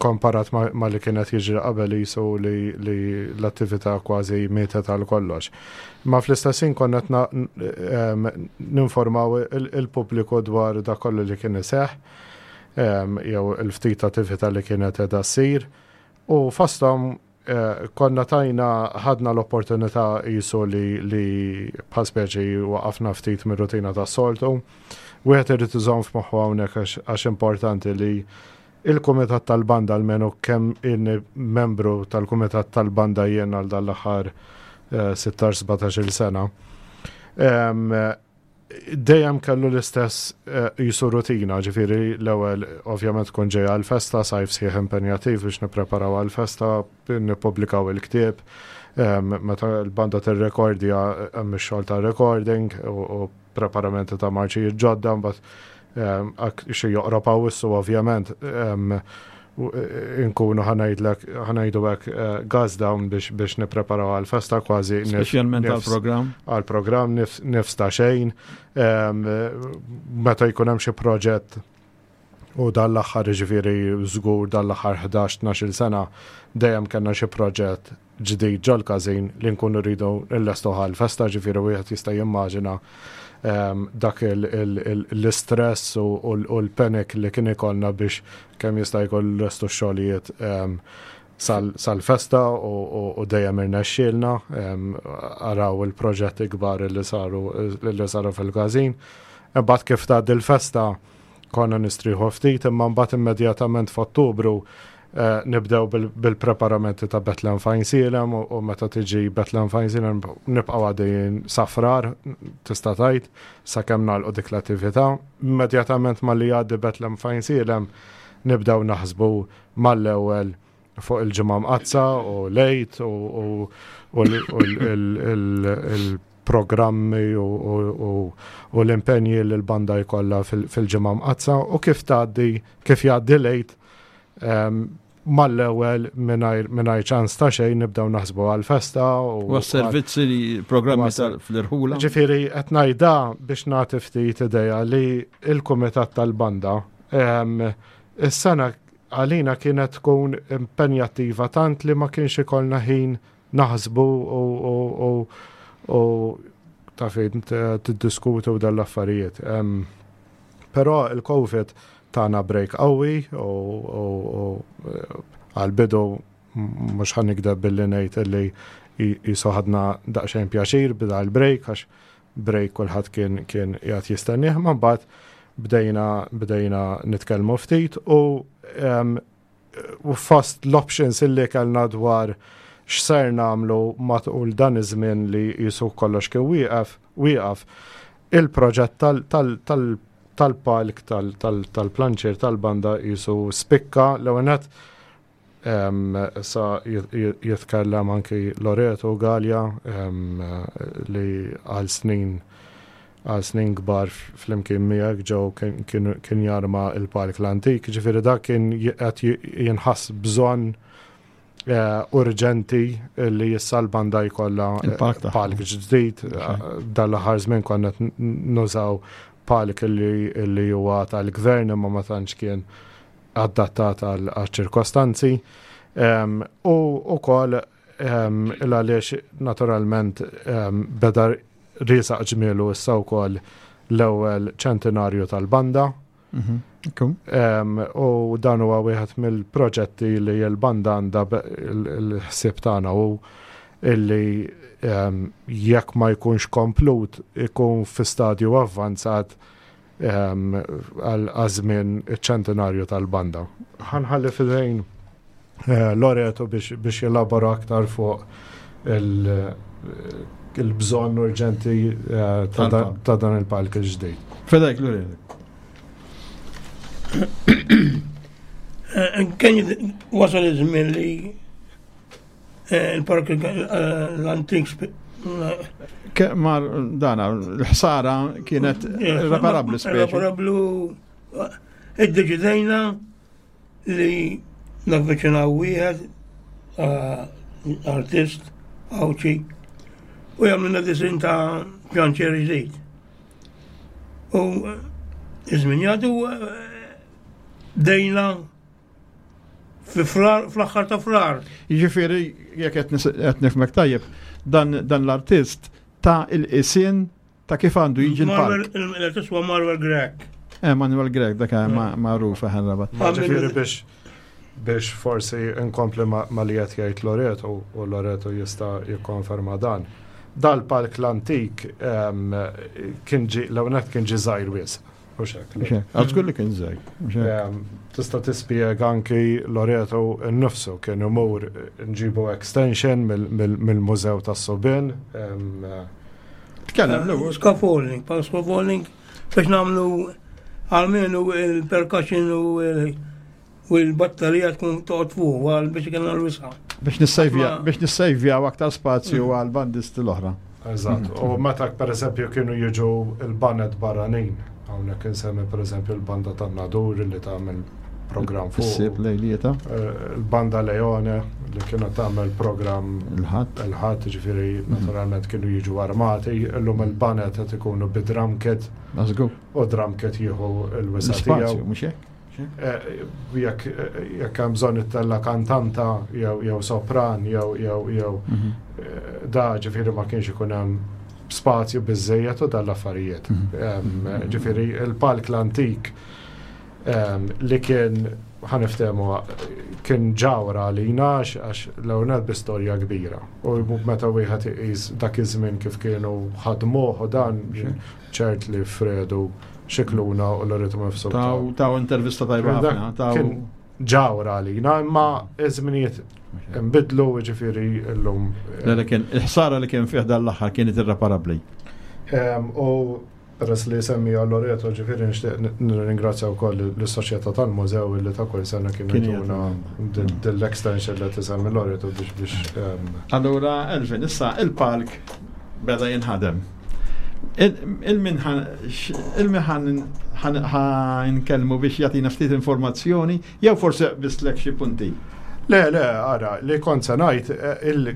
komparat ma, ma li kienet jiġri qabel jisu li, li l-attività kważi mietet għal kollox. Ma fl-istess ħin konna ninformaw il-pubbliku dwar dak kollu li kien iseħħ, jew il-ftit attività li kienet qiegħda ssir. U fosthom eh, konna tajna ħadna l-opportunità jisu li, li bħal speċi waqafna ftit mir-rutina tas-soltu. Wieħed irid iżomm f'moħħu hawnhekk għax importanti li il-Kumitat tal-Banda, almenu kemm inni membru tal-Kumitat tal-Banda jien għal dal-aħħar sittax sbatax-il sena, dejjem kellu l-istess jisu rutina, ġifieri l-ewwel ovvjament tkun ġejja għal-festa, sajf sħiħ impenjattiv biex nippreparaw għal-festa, nippubblikaw il-ktieb, meta l-banda tirrekordja hemm ix-xogħol ta' recording u preparamenti ta' marċijiet ġodda, mbagħad xi joqrob Awwissu ovvjament inkunu ħa ngħidlek ħa ngħidu hekk gas down biex biex nippreparaw għal-festa kważi. Speċjalment għal-programm. Għal-programm nifs ta' xejn. Meta jkun hemm xi proġett u dal-aħħar, ġifieri żgur dal-aħħar ħdax tnax-il sena dejjem kellna xi proġett ġdid ġol-każin li nkunu rridu nlestu għal-festa, ġifieri wieħed jista' jimmaġina dak l-istress u l-panic li kien ikollna biex kemm jista' jkun nlestu xogħlijiet sal-festa u dejjem irnexxielna, araw il-proġetti kbar li saru li saru fil-każin. Imbagħad kif tgħaddi l-festa konna nistrieħu ftit, imma mbagħad immedjatament f'Ottubru nibdew bil-preparamenti ta' Bethlehem f'Għajnsielem u meta tiġi Bethlehem f'Għajnsielem nibqgħu għaddejjin sa Frar, tista' tgħid, sakemm nagħlqu dik l-attività. Immedjatament malli jgħaddi Bethlehem f'Għajnsielem nibdew naħsbu mal-ewwel fuq il-Ġimgħa Mqaddsa u l-Għid u il-programmi u l-impenji li l-banda jkollha fil-Ġimgħa Mqaddsa u kif tgħaddi kif jgħaddi l-Għid, mal-ewwel mingħajr ċans ta' xejn nibdew naħsbu għal-festa. U servizzi li programmi fl-irħula. Ġifieri qed ngħidha biex nagħti ftit idea li il-Kumitat tal-Banda is-sena għalina kienet tkun impenjattiva tant li ma kienx ikollna ħin naħsbu u ta' fejn tiddiskutu dal-affarijiet. Però il-Covid tana break qawwi u għal-bidu mhux ħa nigdeb billi ngħid li jisu ħadna daqsxejn pjaċir bida l-break, għax break kulħadd kien kien qiegħed jistennieh, ma mbagħad bdejna bdejna nitkellmu ftit u u fost l-options illi kellna dwar x'ser nagħmlu matul dan iż-żmien li jisu kollox kien wieqaf wieqaf il-proġett tal tal-palk tal-planċir tal-banda jisu spikka l-ewwel. Sa jitkellem anki Loreto Gallia li għal snin għal snin kbar flimkien miegħek ġew kien jarma il-palk l-antik, ġifieri dak kien qed jinħass bżonn urġenti li issa l-banda jkollha palk ġdid. Dal-aħħar żmien konna nużaw palk li huwa tal-gvern imma ma tantx kien adattat għal ċirkostanzi. U wkoll għaliex naturalment beda riesaq ġmielu issa wkoll l-ewwel ċentinarju tal-banda. U dan huwa wieħed mill-proġetti li l-banda għandha l-ħsieb tagħna u illi jekk ma jkunx komplut ikun fi stadju avvanzat għal żmien iċ-ċentinarju tal-banda. Ħa nħalli f'idejn Loreto biex jelabora aktar fuq il-bżonn urġenti ta' dan il-palk il-ġdid. F'idejk, Loreto. Kien wasal iż-żmien li il-park l-antik Mar dana, l-ħsara kienet irreparabbli speċi. Irreparabbli. Iddeċidejna li navviċinaw wieħed artist Għawdxi u jagħmlilna disin ta' pjanċier ġdid. U iż-żmien jgħaddu dejna fl-aħħar ta' Frar. Jiġifieri jekk qed nifhmek tajjeb, dan l-artist ta' il-qisien ta' kif għandu jiġi l-palk. L-artist huwa Manuel Grech. Eh, Manuel Grech, dak magħruf Rabat. Ġifieri biex biex forsi nkompli ma li qed jgħid Loreto u Loreto jista' jikkonferma dan. Dal-palk l-antik kien ġi l-ewwel kien ġi żgħir wisq. Għax li kien żgħir. Tista' tispjega anki Loreto nnifsu kien imur nġibu extension mill-Mużew tas-Subien. Tkellem l-ewwel. Scaffolding, pa scaffolding biex nagħmlu għalmenu il-percussion u l-batterija tkun toqgħod fuq għal biex ikun l-wisa. Biex nissejvja biex nissejvjaw aktar spazju għal bandisti l-oħra. Eżatt. U meta pereżempju kienu jiġu il-banet barranin, hawnhekk insemmi pereżempju l-banda tan-Nadur li tagħmel programm fuq. Issib lejlieta. Il-banda Leone li kienet tagħmel programm il-ħadd. Il-ħadd, ġifieri naturalment kienu jiġu armati, illum il-banet qed ikunu bi drum kit. U drum kit jieħu l-wisa tiegħu. Mhux hekk? Jekk jekk hemm bżonn ittella kantanta jew jew sopran jew jew jew da ġifieri ma kienx ikun hemm spazju biżejjed u dan l-affarijiet. Ġifieri il-palk l-antik li kien ħa niftehmu kien ġawra għalina għax l-ewwel bi storja kbira. U meta wieħed iqis dak iż-żmien kif kienu ħadmuh u dan ċert li Fredu Xikluna u Loreto Mifsud. Taw intervista tajba ħafna. Kien ġawra għalina, imma iż-żminijiet nbidlu ġifieri llum. Le kien il-ħsara li kien fih dan l-aħħar kienet irreparabbli. U peress li semmija Loreto ġifieri nixtieq nirringrazzja wkoll lis-Soċjetà tal-Mużew li ta' kull sena kienu jtuna dil-extension li tisemmi Loreto biex biex. Allura Elvin, issa il-palk beda jinħadem. Il-min ħa nkellmu biex jagħtina ftit informazzjoni jew forsi bislek xi punti. Le, le, ara, li kont se ngħid,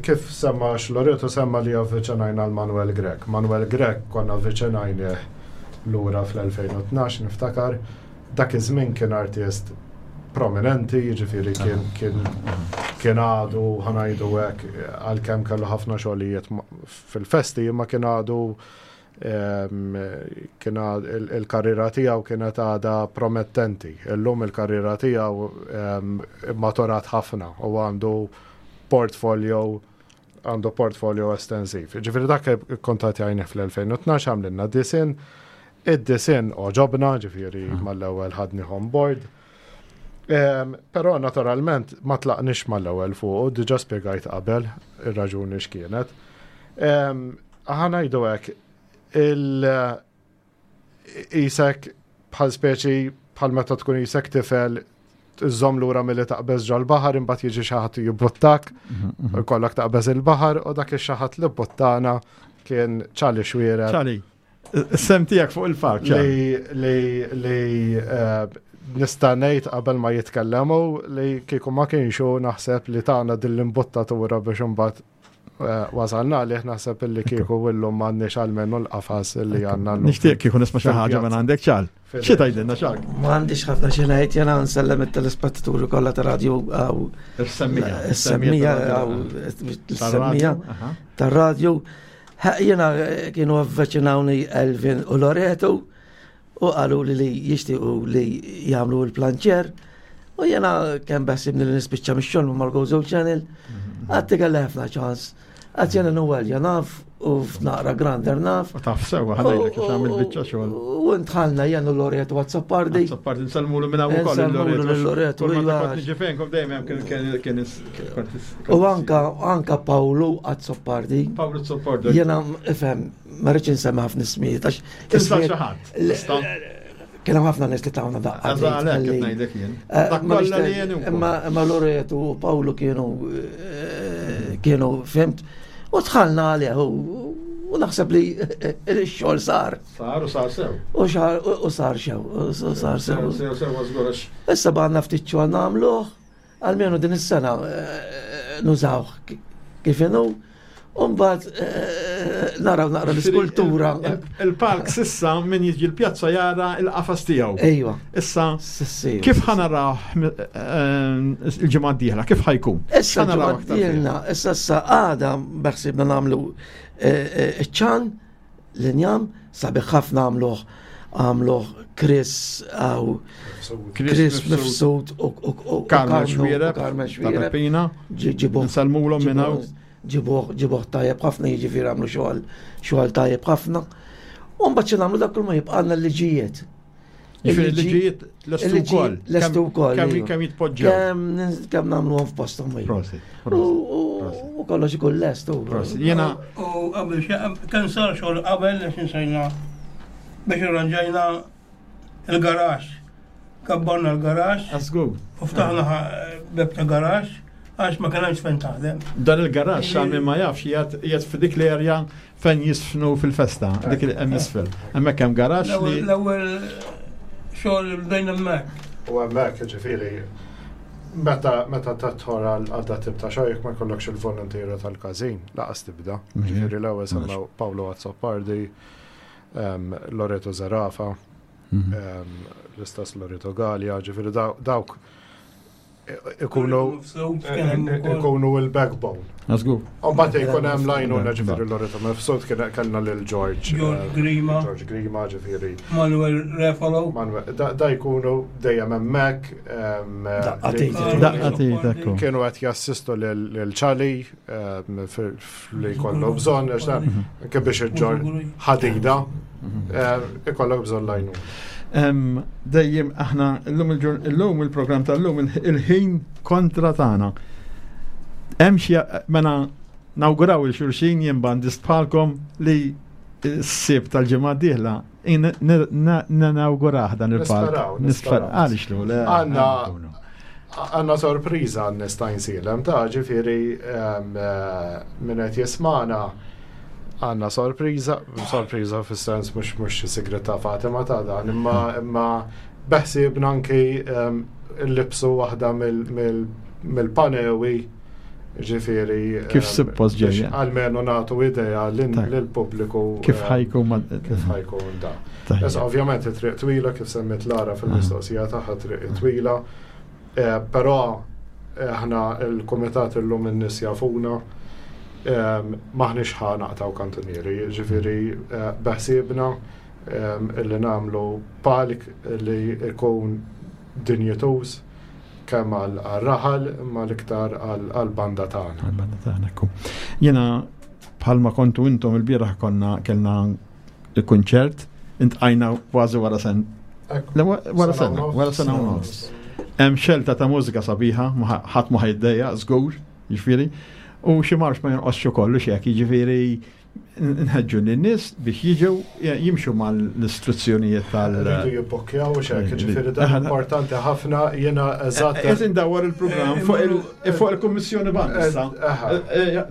kif semma Loreto semma li avviċinajna l-Manuel Grech. Manuel Grech konna avviċinajnieh lura fl-elfejn u tnax niftakar. Dak iż-żmien kien artist prominenti, jiġifieri kien kien kien għadu ħa ngħidu hekk għalkemm kellu ħafna xogħlijiet fil-festi, imma kien għadu kien il-karriera tiegħu kienet għadha promettenti. Illum il-karriera tiegħu maturat ħafna u għandu portfolio għandu portfolio estensiv. Ġifieri dak ikkuntattjajnieh fl-elfejn u tnax għamlilna disin. Id-disin oġobna, ġifieri mal-ewwel ħadni on board. Però naturalment ma tlaqniex mal-ewwel fuq, diġà spjegajt qabel ir-raġuni x'kienet. Aħna ngħidu hekk il-isek bħal speċi bħal meta tkun isek tifel iżżomm lura milli taqbeż ġol-baħar imbagħad jiġi xi ħadd jibbuttak u jkollok taqbeż il-baħar u dak ix-xi ħadd li buttana kien Ċali Xwierer. Ċali, Sem tiegħek fuq il-park. Li li li eh, nista' ngħid qabel ma jitkellemu li kieku ma kienxu naħseb li tagħna din l-imbuttatura biex imbagħad eh, wasalna li naħseb illi kieku illum m'għandniex almenu l-qafas li għandna llum. Nixtieq kieku nisma' xi ħaġa minn għandek ċal. Xi tgħidilna ċal? Ma għandix ħafna xi ngħid, jena nsellem it-telespettaturi kollha ta' radju għaw Is-semmija. is-semmija għaw is-semmija tar-radju. Jena kienu avviċinawni Elvin u Loreto u qalu li li jixtiequ li jagħmlu l-planċer u jena kemm beħsibni li nispiċċa mix-xogħol ma' Gozo Channel għatti kelli ħafna ċans. Għax jena nuwelja naf u f'naqra grander naf. U taf sewa ħadajlek għax għamil biċċa xogħol. U ntħalna jena Loreto Azzopardi. Azzopardi nsellmulu minn hawn ukoll Nsellmulu lil Loreto, Kull ma iva. kont niġi fejnkom dejjem hemm kien kien kien U anka anka Paolo Azzopardi. Paolo Azzopardi. Jena, ifhem, ma rridx insemmi ħafna ismijiet, għax Tinsa ismijiet- xi ħadd. Le- Tista'? Kien hemm ħafna nies li tawna daqqa. Għażla għalhekk qed ngħidlek jien. Eh, Dak ma kollha li nixtieq- jien ukoll. Imma imma Loreto u Paolo kienu eh, kienu fhimt u dħalna għalih u u naħseb li il-xogħol sar. Sar u sar sew. U xar u sar xew, u sar sew. Sew sew żgur għax Issa baqgħna ftit xogħol nagħmluh, almenu din is-sena eh, nużawh ki- kif inhu, u mbagħad eh, naraw naqra l-iskultura. Il-park sissa min jiġi l-pjazza jara il-qafas tiegħu. Ejwa. Issa Sissi. kif ħa naraw eh, il-ġimgħa d-dieħla, kif ħa jkun? Issa Ħa naraw aktar fih? ġimgħa issa issa għada beħsibna nagħmlu iċ-ċan l-injam sabiħ ħafna għamluh għamluh Chris għaw Chris Mifsud u u- u Carmen Carmen- Xwiereb, u Carmen ta' Xwiereb. Peppina, Ġi- ġibuh Nsellmulhom minn hawn. ġibuh ġibuh tajjeb ħafna jiġifieri għamlu xogħol xogħol tajjeb ħafna. U mbagħad xi nagħmlu dak kull ma jibqalna l-liġijiet. Jiġifieri l-liġijiet lestu wkoll. Lestu wkoll. Kemm iva. kemm jitpoġġew. Kemm kemm nagħmluhom f'posthom. iva. Prosit. U Prosit. u- u kollox ikun lest. u- Prosit. Jiena U qabel xi- kien sar xogħol qabel biex insejna biex irranġajna il-garax. Kabbarna l-garax Għażgur. u ftaħna ħa- beb ta' garax għax ma kienx fejn taħdem. Dan il-garax għal min ma jafx jgħat jgħat f'dik l-erja fejn jisfnu fil-festa, dik il hemm isfel. Hemmhekk hemm garax L-ewwel li l-ewwel xogħol bdejna hemmhekk. U hemmhekk ġifieri meta meta tadħol għal għal dat tip ta' xogħol jekk ma jkollokx il-volontiera tal-każin, laqas tibda. Mhm. Ġifieri l-ewwel semmew Paolo Azzopardi, em, Loreto Zerafa, Mhm. em, l-istess Loreto Gallia, ġifieri daw- dawk ikunu Mifsud kien hemm ukoll. ikunu il-backbone. Għażgur. Mbagħad jkun hemm lajnuna ġifieri Loreto Mifsud kien kellna lil George George eh, Grima. George Grima ġifieri. Manuel Refalo. Manuel, da, da jkunu dejjem hemmhekk em, Daqqa li- tejt. Daqqa tejt, ekku. Kienu qed jassistu lil lil Charlie em, fil- li jkollu bżonn għax dan anke biex iġġor ħadida em, ikollok bżonn lajnuna. Em, Dejjem aħna llum il-ġur- illum il-programm tal-lum il- il-ħin kontra tagħna. Hemm xi mela nawguraw il xulxin jien bandist bħalkom li s-sib tal-ġimgħa d-dieħla nawgurah dan il-palk. Nisperaw, Nisperaw. nisperaw. Għaliex lu, le. Għanna- nkunu. Għanna sorpriża għan nista' nsilem ta' ġifieri em, eh, min qed jismana għanna sorpriża, sorpriża fis-sens mhux mhux xi sigret ta' Fatima ta' dan, imma imma beħsiebna anki em, nlibsu waħda mill- mill- mill-panewi ġifieri Kif em, suppost biex ġejja. Almenu nagħtu idea lin- Tajjeb. lill-pubbliku Kif em, ħajkun ma- kif ħajkun da. Tajjeb. Issa ovvjament it-triq twila kif semmit Lara fil-mistoqsija tagħha triq twila, eh, però eh, aħna il-kumitat illum in-nies jafuna em, maħniex ħa naqtaw kantunieri, ġifieri eh, beħsiebna em, illi nagħmlu palk li jkun dinjituż kemm għal raħal imma l-iktar għal għall-banda tagħna. Għal-banda tagħna ekku. Jiena bħalma kontu intom il-bieraħ konna kellna il-kunċert, intqajna kważi wara sen. Ekku. Le, wa- Wara Sena u sena, nofs. wara sena u nofs. Hemm xelta ta' mużika sabiħa, ma ħa- ħadd ma ħajddejja, żgur, jiġifieri. U xi marx ma jonqosx ukoll u xek, jiġifieri Nħeġġu lin-nies biex jiġu jimxu mal-istruzzjonijiet tal- Rridu jibbokkjaw u xek, ġifieri dan importanti ħafna, jiena eżatt. Qed indawwar il-programm fuq il-Kummissjoni Banda issa.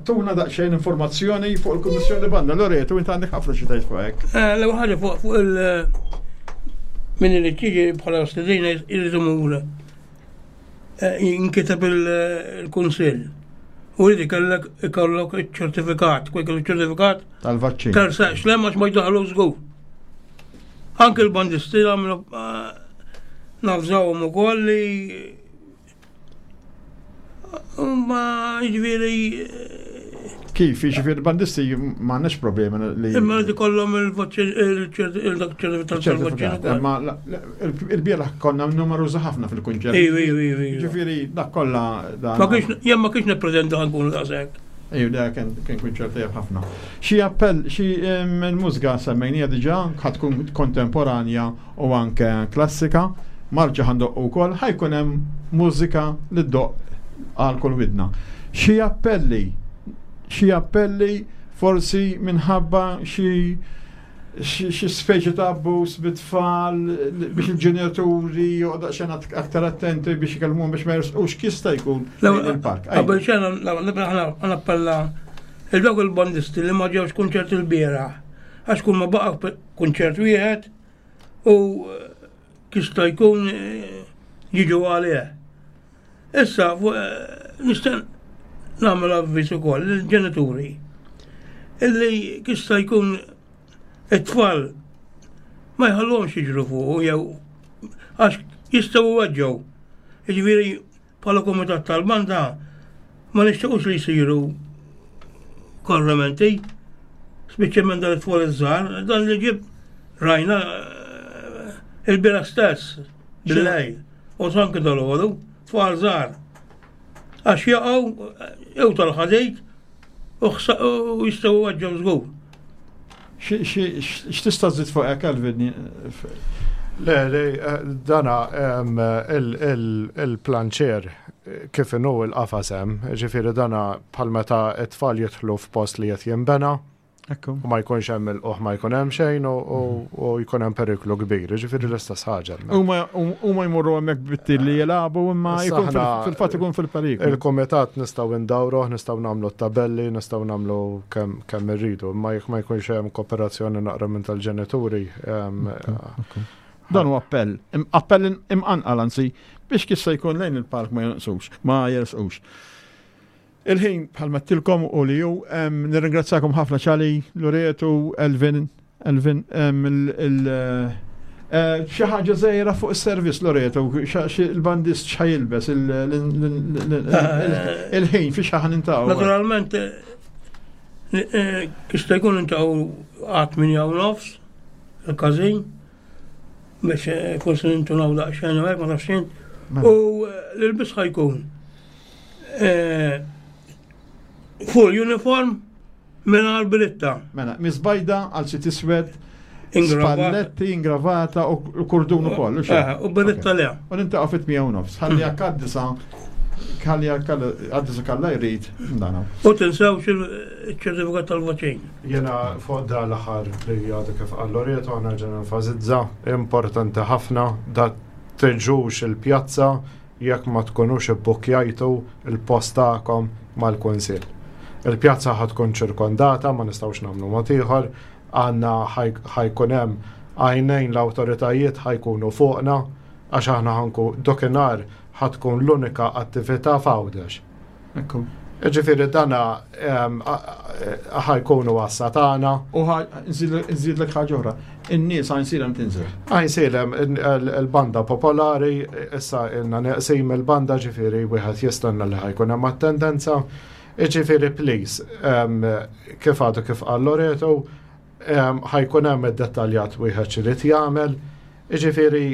Tuna daqsxejn informazzjoni fuq il-Kummissjoni Banda. Loreto, inti għandek ħafna xi tgħid fuq hekk. L-ewwel ħaġa fuq il- min irid jiġi bħala stedina jrid imur jinkiteb il-kunsill. U jrid ikollok ikollok iċ-ċertifikat, kwek il-ċertifikat tal-vaċċin. Tersaqx lem għax ma jdaħlu żgur. Anke l-bandisti għamlu nafżawhom ukoll li ma jiġifieri. Kif, jiġifieri bandisti m'għandniex problemi li. Imma li kollhom il-ċertifikat tal-vaċċin. Imma il-bieraħ konna numeruża ħafna fil-kunċert. Ejju, ejju, ejju. Ġifieri dak kollha. Ma kienx jien ma kienx nippreżenta nkunu daqshekk. Ejju, da kien kien kunċert tajjeb ħafna. Xi appell, xi il-mużika semmejnija diġà ħa tkun kontemporanja u anke klassika, marċa ħa ndoqqu wkoll, ħa jkun hemm mużika li ddoqq għal kull widna. Xi appelli, xi appelli forsi minħabba xi xi speċi ta' abbuż bit-tfal biex il-ġenituri joqgħdu daqsxejn aktar attenti biex ikellmuhom biex ma jersqux jista' jkun il-park. Qabel xejn nappella il dawk il-bandisti li ma ġewx kunċert il-bieraħ, għax kull ma baqa' kunċert wieħed u jista' jkun jiġu għalih. Issa nista' nagħmel avviż ukoll lill-ġenituri illi jista' jkun it-tfal ma jħallhomx jiġru fuq jew għax jistgħu jweġġgħu. Jiġifieri bħala kumitat tal-banda ma nixtiequx li jsiru korrimenti, speċjalment dan it-tfal iż-żgħar, dan li ġib rajna il-bieraħ stess bil-lejl u anke dalgħodu, tfal żgħar. Għax jaqgħu jew tal-ħadid u jistgħu jweġġgħu żgur. X'tista' żżid fuq hekk, Alvin? Le, le, dana il-planċer kif inhu il-qafas hemm, ġifieri dana bħal meta t-tfal jidħlu f'post li qed jinbena. Ekku. U ma jkunx hemm il-qoħ, ma jkun hemm xejn u jkun hemm periklu kbir, ġifieri l-istess ħaġa. Huma jmorru hemmhekk bit-tilli jilagħbu imma jkun fil-fatt ikun fil-periklu. Il-kumitat nistgħu ndawruh, nistgħu nagħmlu t-tabelli, nistgħu nagħmlu kemm irridu, imma jekk ma jkunx hemm kooperazzjoni naqra minn tal-ġenituri. Dan huwa appell, appell imqanqal anzi biex kif se jkun lejn il-park ma jonqsux, ma jersqux. Il-ħin bħalma għedtilkom u li ju, nirringrazzakom ħafna Ċali, Loreto, Elvin, Elvin, xi ħaġa żgħira fuq is-servizz Loreto, il-bandist x'ħa jilbes, il-ħin fi xi ħa niltaqgħu. Naturalment, jista' jkun niltaqgħu għat-tmienja u nofs, il-każin, biex forsi nintunaw daqsxejn u hekk ma tafx int. U l-ilbis ħa jkun full uniform mingħajr beritta. Mela, misbajda għal xi tiswed, spalletti, ingravata u kurdun ukoll. U beritta le. U niltaqgħu fit-tmienja u nofs. Ħalli jekk għad-disgħa, ħalli jekk għad-disgħa kalla jrid, dana. U tinsewx il-ċertifikat tal-vaċċin. Jena fuq da l-aħħar li għadu kif qal Loreto, nerġa' nenfasizza, importanti ħafna da tiġux il-pjazza jekk ma tkunux ibbukjajtu il-post tagħkom mal-kunsill. Il-pjazza ħa tkun ċirkondata, ma nistgħux nagħmlu mod ieħor, għandna ħa jkun hemm għajnejn l-awtoritajiet ħa jkunu fuqna, għax aħna ħa nku dakinhar ħa tkun l-unika attività f'Għawdex. Ekku. Ġifieri dana ħa jkunu għassa tagħna. U nżidlek ħaġa oħra. In-nies Għajnsielem tinżel. Għajnsielem il-banda popolari, issa ilna neqsim il-banda, ġifieri wieħed jistenna li ħa jkun hemm attendenza. Ġifieri please, kif għadu kif qal Loreto, ħa jkun hemm id-dettaljat wieħed x'irid jagħmel. Ġifieri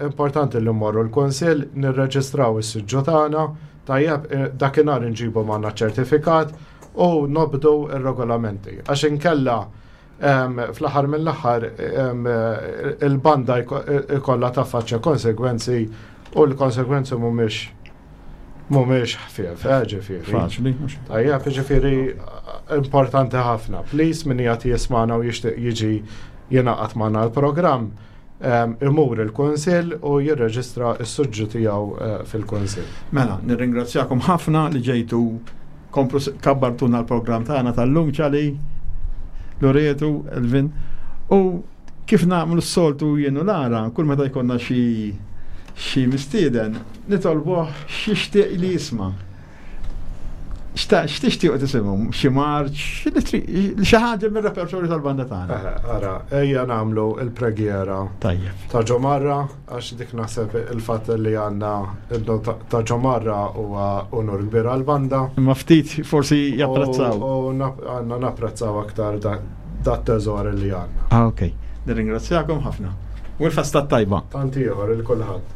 importanti li mmorru l-kunsill, nirreġistraw is-siġġu tagħna, tajjeb, dakinhar inġibu magħna ċertifikat u nobdu ir-regolamenti. Għax inkella fl-aħħar mill-aħħar il-banda ikollha taffaċċja konsegwenzi u l-konsegwenzi mhumiex mhumiex ħfief, eh, ġifieri. Faċli, mhux. Tajjeb, ġifieri importanti ħafna. Please, min qiegħed jismagħna u jixtieq jiġi jingħaqad magħna l-programm, imur il-Kunsill u jirreġistra s-suġġu tiegħu eh, fil-Kunsill. Mela, nirringrazzjakom ħafna li ġejtu komplu kabbartuna l-programm tagħna tal-lum ċali, Loretu, Elvin. U kif nagħmlu s-soltu jien u Lara, kull meta jkollna xi xi mistieden, nitolbuh x'jixtieq li jisma'. X'tixtiequ tisimgħu? Xi marċ, xi ħaġa mir-repertorju tal-banda tagħna. Ara, ejja nagħmlu il-preghiera. Tajjeb. Ta' ġomarra, għax dik naħseb il-fatt li għandna ta' ġomarra huwa unur kbir għall-banda. Imma ftit forsi japprezzaw. U għandna napprezzaw aktar dat teżor li għandna. Ah, ok. Nirringrazzjakom ħafna. U l-festa tajba. Tant ieħor il kulħadd.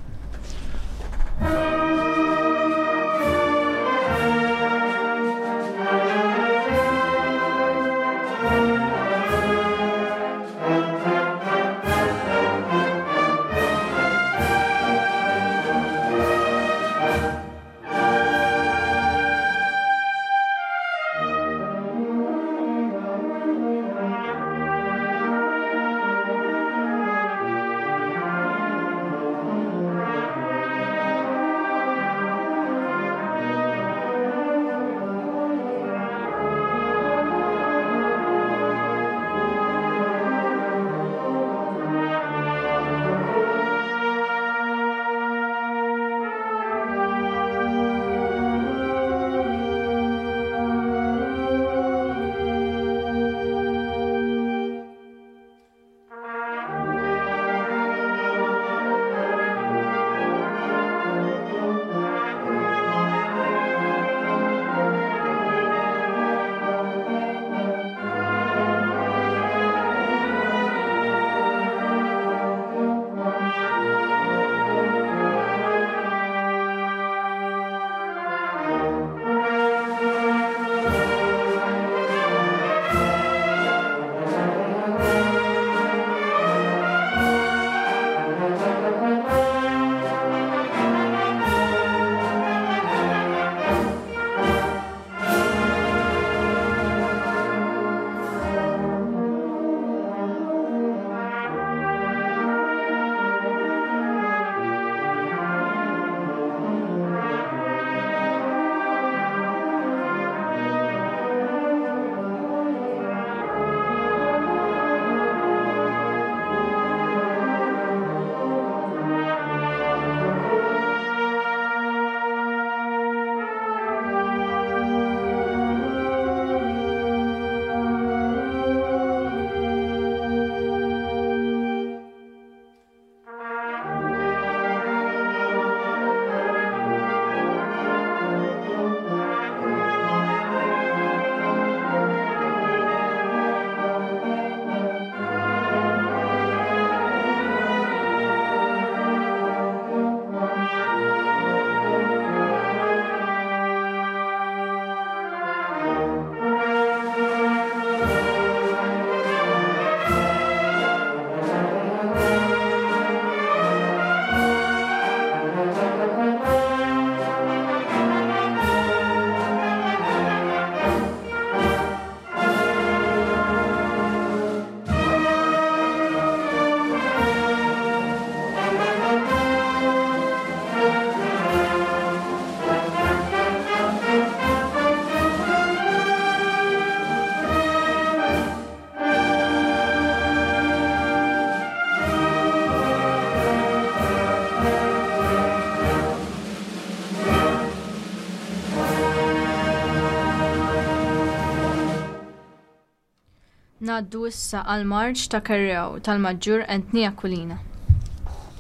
Ngħaddu issa għal marċ ta' Kerrew tal-Maġġur Anthony Aquilina.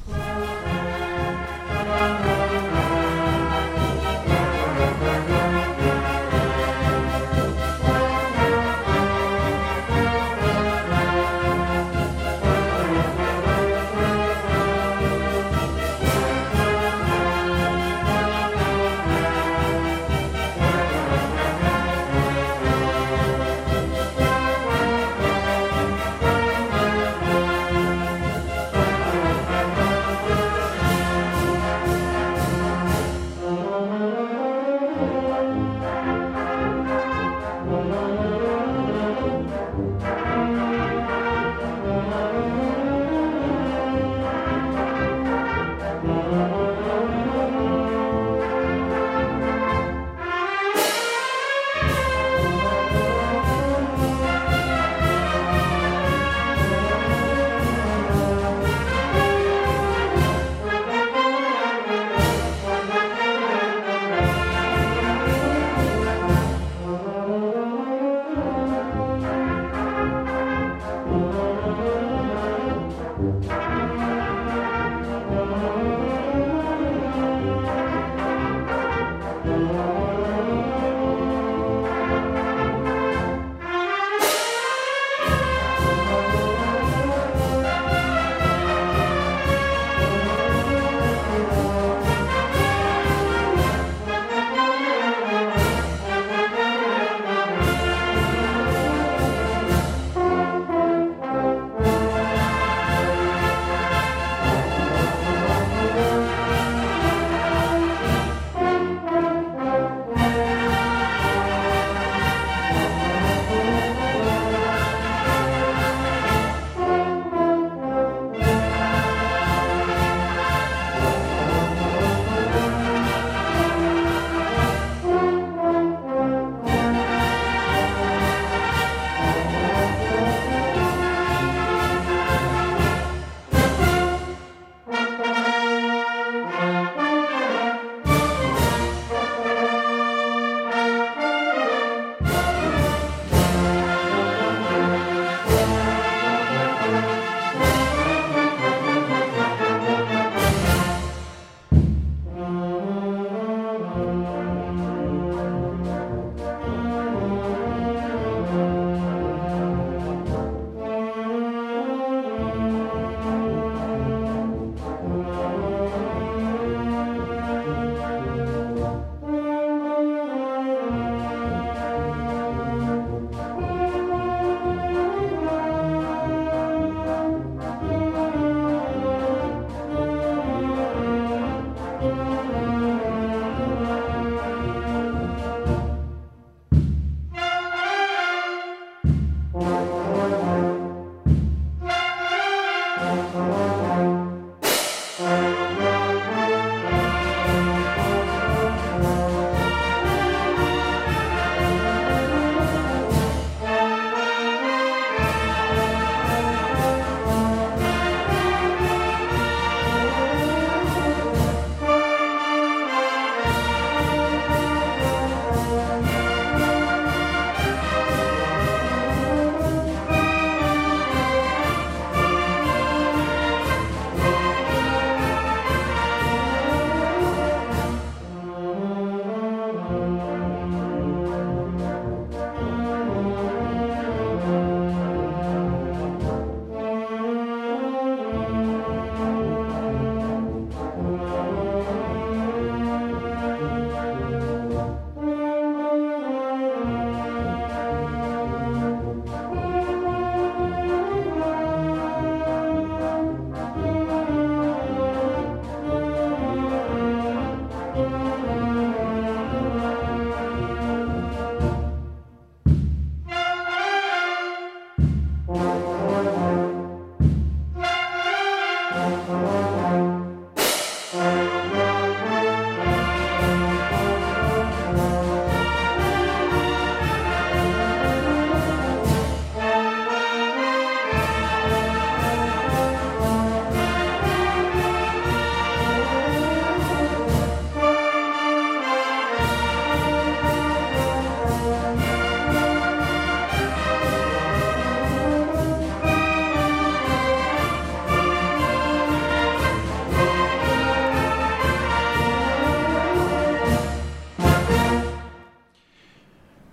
Thank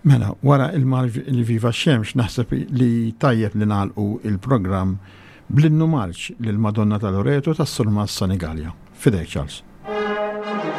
Mela, wara il-marġ li Viva Xemx naħseb li tajjeb li nagħlqu il-programm bl-innu marċ lil Madonna ta' Loreto tas-Surmas Senigallia. Fidejk Charles. Yeah.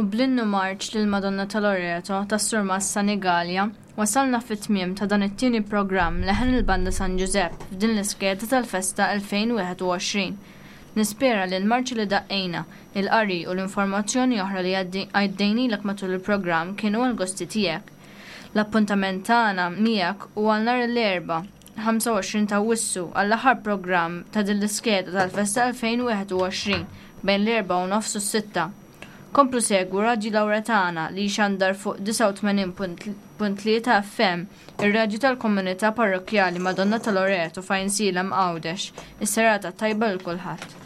Bl-innu marċ lil Madonna ta' Loreto tas-Surmast Sanigallia wasalna fit-tmiem ta' dan it-tieni programm Leħen il-Banda San Ġużepp f'din l-iskeda tal-festa elfejn u wieħed u għoxrin. Nispera li l-marċi li daqqejna, il-qari u l-informazzjoni oħra li għaddejnilek matul il-programm kienu għall-gosti tiegħek. L-appuntament tagħna miegħek hu għal nhar l-Erbgħa, ħamsa u għoxrin ta' Awwissu għall-aħħar programm ta' din l-iskeda tal-festa elfejn u wieħed u għoxrin bejn l-erbgħa u nofs u s-sitta. Komplu segwu Radju Lawretana li jxandar fuq disgħa u tmenin punt tlieta F M, ir-radju tal-komunità parrokkjali Madonna ta' Loreto f'Għajnsielem Għawdex. Is-serata tajba lil kulħadd.